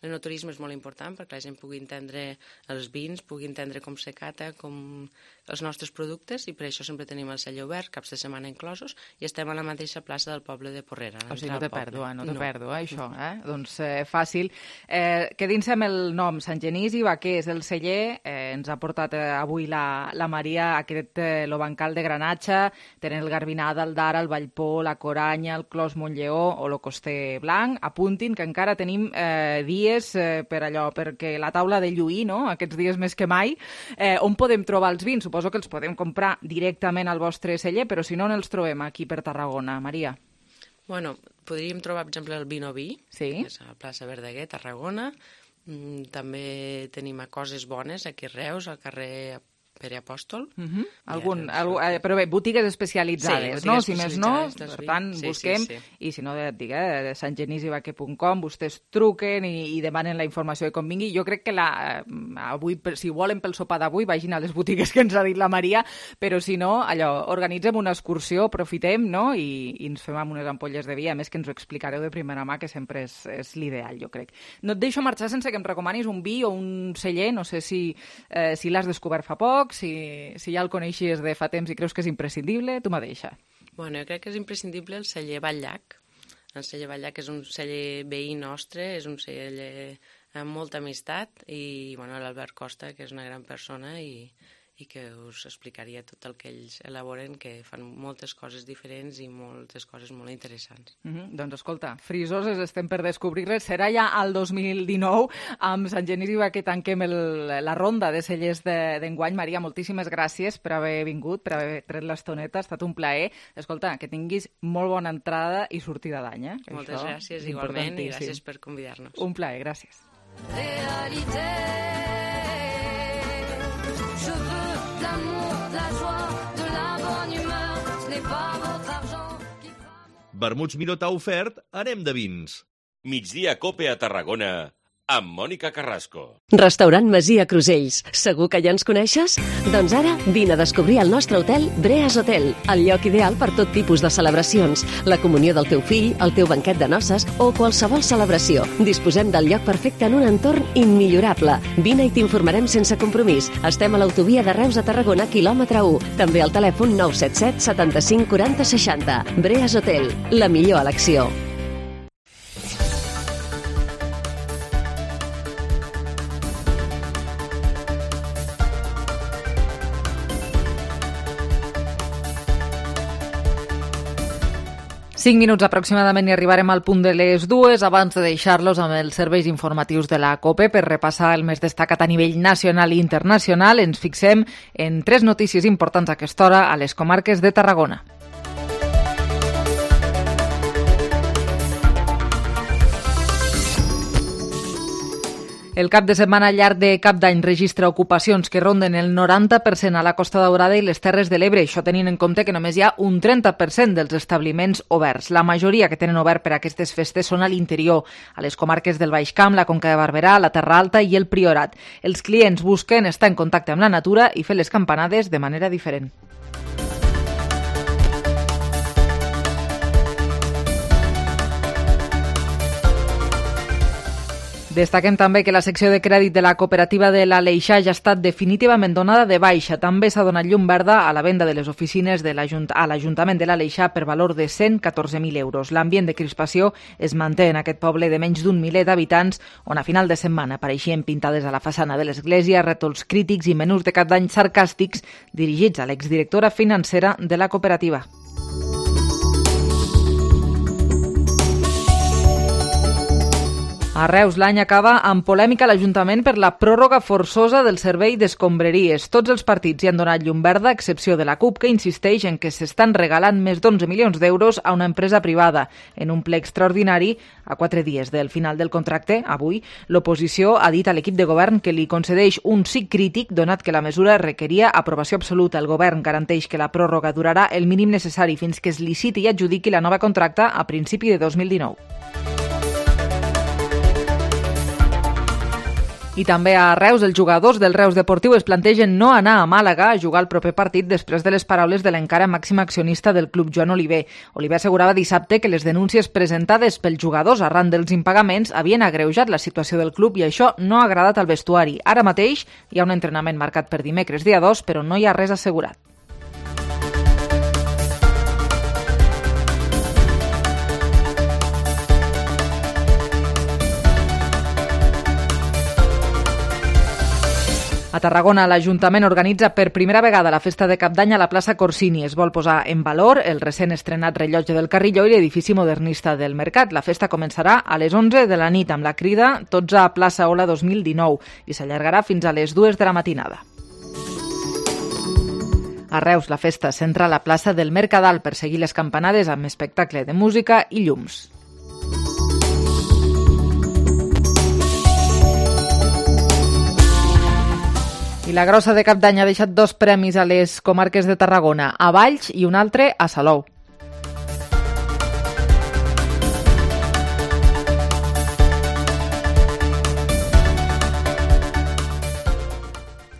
L'enoturisme és molt important perquè la gent pugui entendre els vins, pugui entendre com se cata, com els nostres productes, i per això sempre tenim el celler obert, caps de setmana inclosos, i estem a la mateixa plaça del poble de Porrera. O sigui, no té pèrdua, no té no. pèrdua, això, eh? Doncs eh, fàcil. Eh, Quedin-se amb el nom, Sant Genís i Vaquer és el celler, eh, ens ha portat eh, avui la, la Maria aquest eh, lo bancal de granatxa, tenen el Garbinada, el Dara, el Vallpó, la Coranya, el Clos Montlleó o lo Coster Blanc. Apuntin que encara tenim eh, dies eh, per allò, perquè la taula de lluir, no?, aquests dies més que mai. Eh, on podem trobar els vins? Suposo que els podem comprar directament al vostre celler, però si no, on els trobem aquí per Tarragona, Maria? Bueno, podríem trobar, per exemple, el Vino Vi, sí. que és a la plaça Verdaguer, Tarragona. Mm, també tenim a Coses Bones, aquí a Reus, al carrer Pere Apòstol. Uh-huh. Algun, algú, eh, però bé, botigues especialitzades, sí, no? botigues Si més no, especialitzades per dels tant, vins. busquem, Sí, sí, sí. i si no, et dic, eh, sant genís i vaquer punt com, vostès truquen i, i demanen la informació de com vingui. Jo crec que la, eh, avui, si volen pel sopar d'avui, vagin a les botigues que ens ha dit la Maria, però si no, allò, organitzem una excursió, aprofitem, no?, i, i ens fem amb unes ampolles de vi, a més que ens ho explicareu de primera mà, que sempre és, és l'ideal, jo crec. No et deixo marxar sense que em recomanis un vi o un celler, no sé si, eh, si l'has descobert fa poc, si, si ja el coneixies de fa temps i creus que és imprescindible, tu mateixa. Bueno, jo crec que és imprescindible el celler Batllac. El celler Batllac és un celler veí nostre, és un celler amb molta amistat, i bueno, l'Albert Costa, que és una gran persona, i, i que us explicaria tot el que ells elaboren, que fan moltes coses diferents i moltes coses molt interessants. Mm-hmm. Doncs escolta, frisoses estem per descobrir-les. Serà ja al dos mil dinou. Amb Sant Genís i que tanquem el, la ronda de cellers d'enguany. Maria, moltíssimes gràcies per haver vingut, per haver tret l'estoneta. Ha estat un plaer. Escolta, que tinguis molt bona entrada i sortida d'any. Eh? Moltes Això gràcies, igualment, i gràcies per convidar-nos. Un plaer, gràcies. Réalité, je veux de l'amour, de la joie, de la bonne humeur, ce n'est pas votre argent qui... Vermuts Miró t'ha ofert Anem de vins. Migdia Cope a Tarragona, amb Mònica Carrasco. Restaurant Masia Crusells. Segur que ja ens coneixes? Doncs ara vine a descobrir el nostre hotel Breas Hotel, el lloc ideal per tot tipus de celebracions, la comunió del teu fill, el teu banquet de noces o qualsevol celebració. Disposem del lloc perfecte en un entorn immillorable. Vine i t'informarem sense compromís. Estem a l'autovia de Reus a Tarragona, quilòmetre u. També al telèfon nou set set setanta-cinc quaranta seixanta. Breas Hotel, la millor elecció. Cinc minuts aproximadament i arribarem al punt de les dues abans de deixar-los amb els serveis informatius de la COPE per repassar el més destacat a nivell nacional i internacional. Ens fixem en tres notícies importants a aquesta hora a les comarques de Tarragona. El cap de setmana llarg de Cap d'Any registra ocupacions que ronden el noranta per cent a la Costa Daurada i les Terres de l'Ebre, això tenint en compte que només hi ha un trenta per cent dels establiments oberts. La majoria que tenen obert per a aquestes festes són a l'interior, a les comarques del Baix Camp, la Conca de Barberà, la Terra Alta i el Priorat. Els clients busquen estar en contacte amb la natura i fer les campanades de manera diferent. Destaquem també que la secció de crèdit de la cooperativa de l'Aleixar ja ha estat definitivament donada de baixa. També s'ha donat llum verda a la venda de les oficines de l'Ajunt- a l'Ajuntament de l'Aleixar per valor de cent catorze mil euros. L'ambient de crispació es manté en aquest poble de menys d'un miler d'habitants, on a final de setmana apareixien pintades a la façana de l'església, rètols crítics i menús de Cap d'Any sarcàstics dirigits a l'exdirectora financera de la cooperativa. A Reus l'any acaba amb polèmica a l'Ajuntament per la pròrroga forçosa del servei d'escombraries. Tots els partits hi han donat llum verda, a excepció de la CUP, que insisteix en que s'estan regalant més d'onze milions d'euros a una empresa privada. En un ple extraordinari, a quatre dies del final del contracte, avui, l'oposició ha dit a l'equip de govern que li concedeix un sí crític, donat que la mesura requeria aprovació absoluta. El govern garanteix que la pròrroga durarà el mínim necessari fins que es liciti i adjudiqui la nova contracta a principi de dos mil dinou. I també a Reus, els jugadors del Reus Deportiu es plantegen no anar a Màlaga a jugar el proper partit després de les paraules de l'encara màxim accionista del club, Joan Oliver. Oliver assegurava dissabte que les denúncies presentades pels jugadors arran dels impagaments havien agreujat la situació del club i això no ha agradat al vestuari. Ara mateix hi ha un entrenament marcat per dimecres dia dos, però no hi ha res assegurat. A Tarragona, l'Ajuntament organitza per primera vegada la festa de Cap d'Any a la plaça Corsini. Es vol posar en valor el recent estrenat rellotge del Carrilló i l'edifici modernista del Mercat. La festa començarà a les onze de la nit amb la crida Tots a plaça Ola dos mil dinou i s'allargarà fins a les dues de la matinada. A Reus, la festa centra la plaça del Mercadal per seguir les campanades amb espectacle de música i llums. I la grossa de Cap d'Any ha deixat dos premis a les comarques de Tarragona, a Valls i un altre a Salou.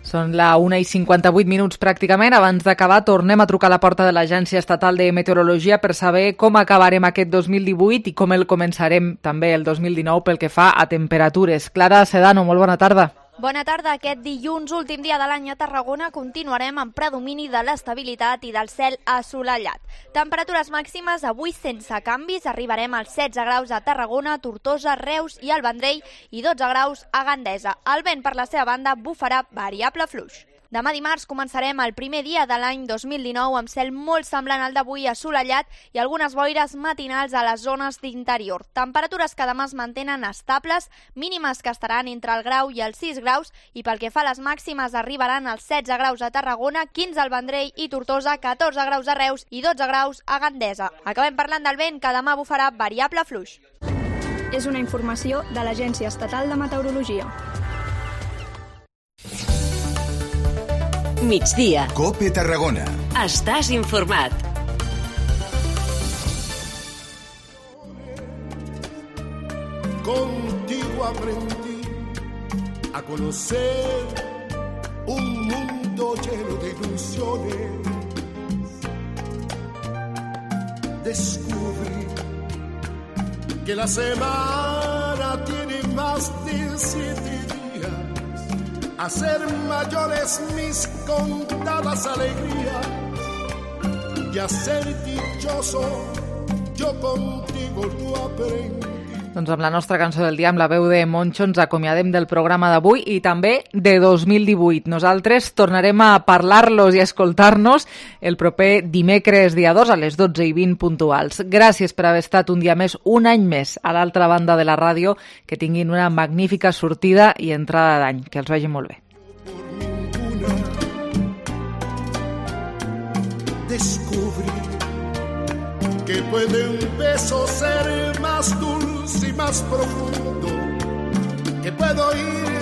Són la una i cinquanta-vuit minuts pràcticament. Abans d'acabar, tornem a trucar a la porta de l'Agència Estatal de Meteorologia per saber com acabarem aquest dos mil divuit i com el començarem també el dos mil dinou pel que fa a temperatures. Clara Sedano, molt bona tarda. Bona tarda. Aquest dilluns, últim dia de l'any a Tarragona, continuarem amb predomini de l'estabilitat i del cel assolellat. Temperatures màximes avui sense canvis. Arribarem als setze graus a Tarragona, Tortosa, Reus i el Vendrell i dotze graus a Gandesa. El vent, per la seva banda, bufarà variable fluix. Demà dimarts començarem el primer dia de l'any dos mil dinou amb cel molt semblant al d'avui, assolellat i algunes boires matinals a les zones d'interior. Temperatures que demà es mantenen estables, mínimes que estaran entre el grau i els sis graus i pel que fa a les màximes arribaran als setze graus a Tarragona, quinze al Vendrell i Tortosa, catorze graus a Reus i dotze graus a Gandesa. Acabem parlant del vent, que demà bufarà variable fluix. És una informació de l'Agència Estatal de Meteorologia. Migdia. Cope Tarragona. Estàs informat. Contigo aprendí a conocer un mundo lleno de ilusiones. Descubrí que la semana tiene más de siete días. Hacer mayores mis contadas alegrías y a ser dichoso yo contigo lo aprendí. Doncs amb la nostra cançó del dia, amb la veu de Moncho, ens acomiadem del programa d'avui i també de dos mil divuit. Nosaltres tornarem a parlar-los i a escoltar-nos el proper dimecres dia dos a les dotze i vint puntuals. Gràcies per haver estat un dia més, un any més, a l'altra banda de la ràdio. Que tinguin una magnífica sortida i entrada d'any. Que els vagi molt bé. Descubrí que puede un beso ser más dulce y más profundo, que puedo ir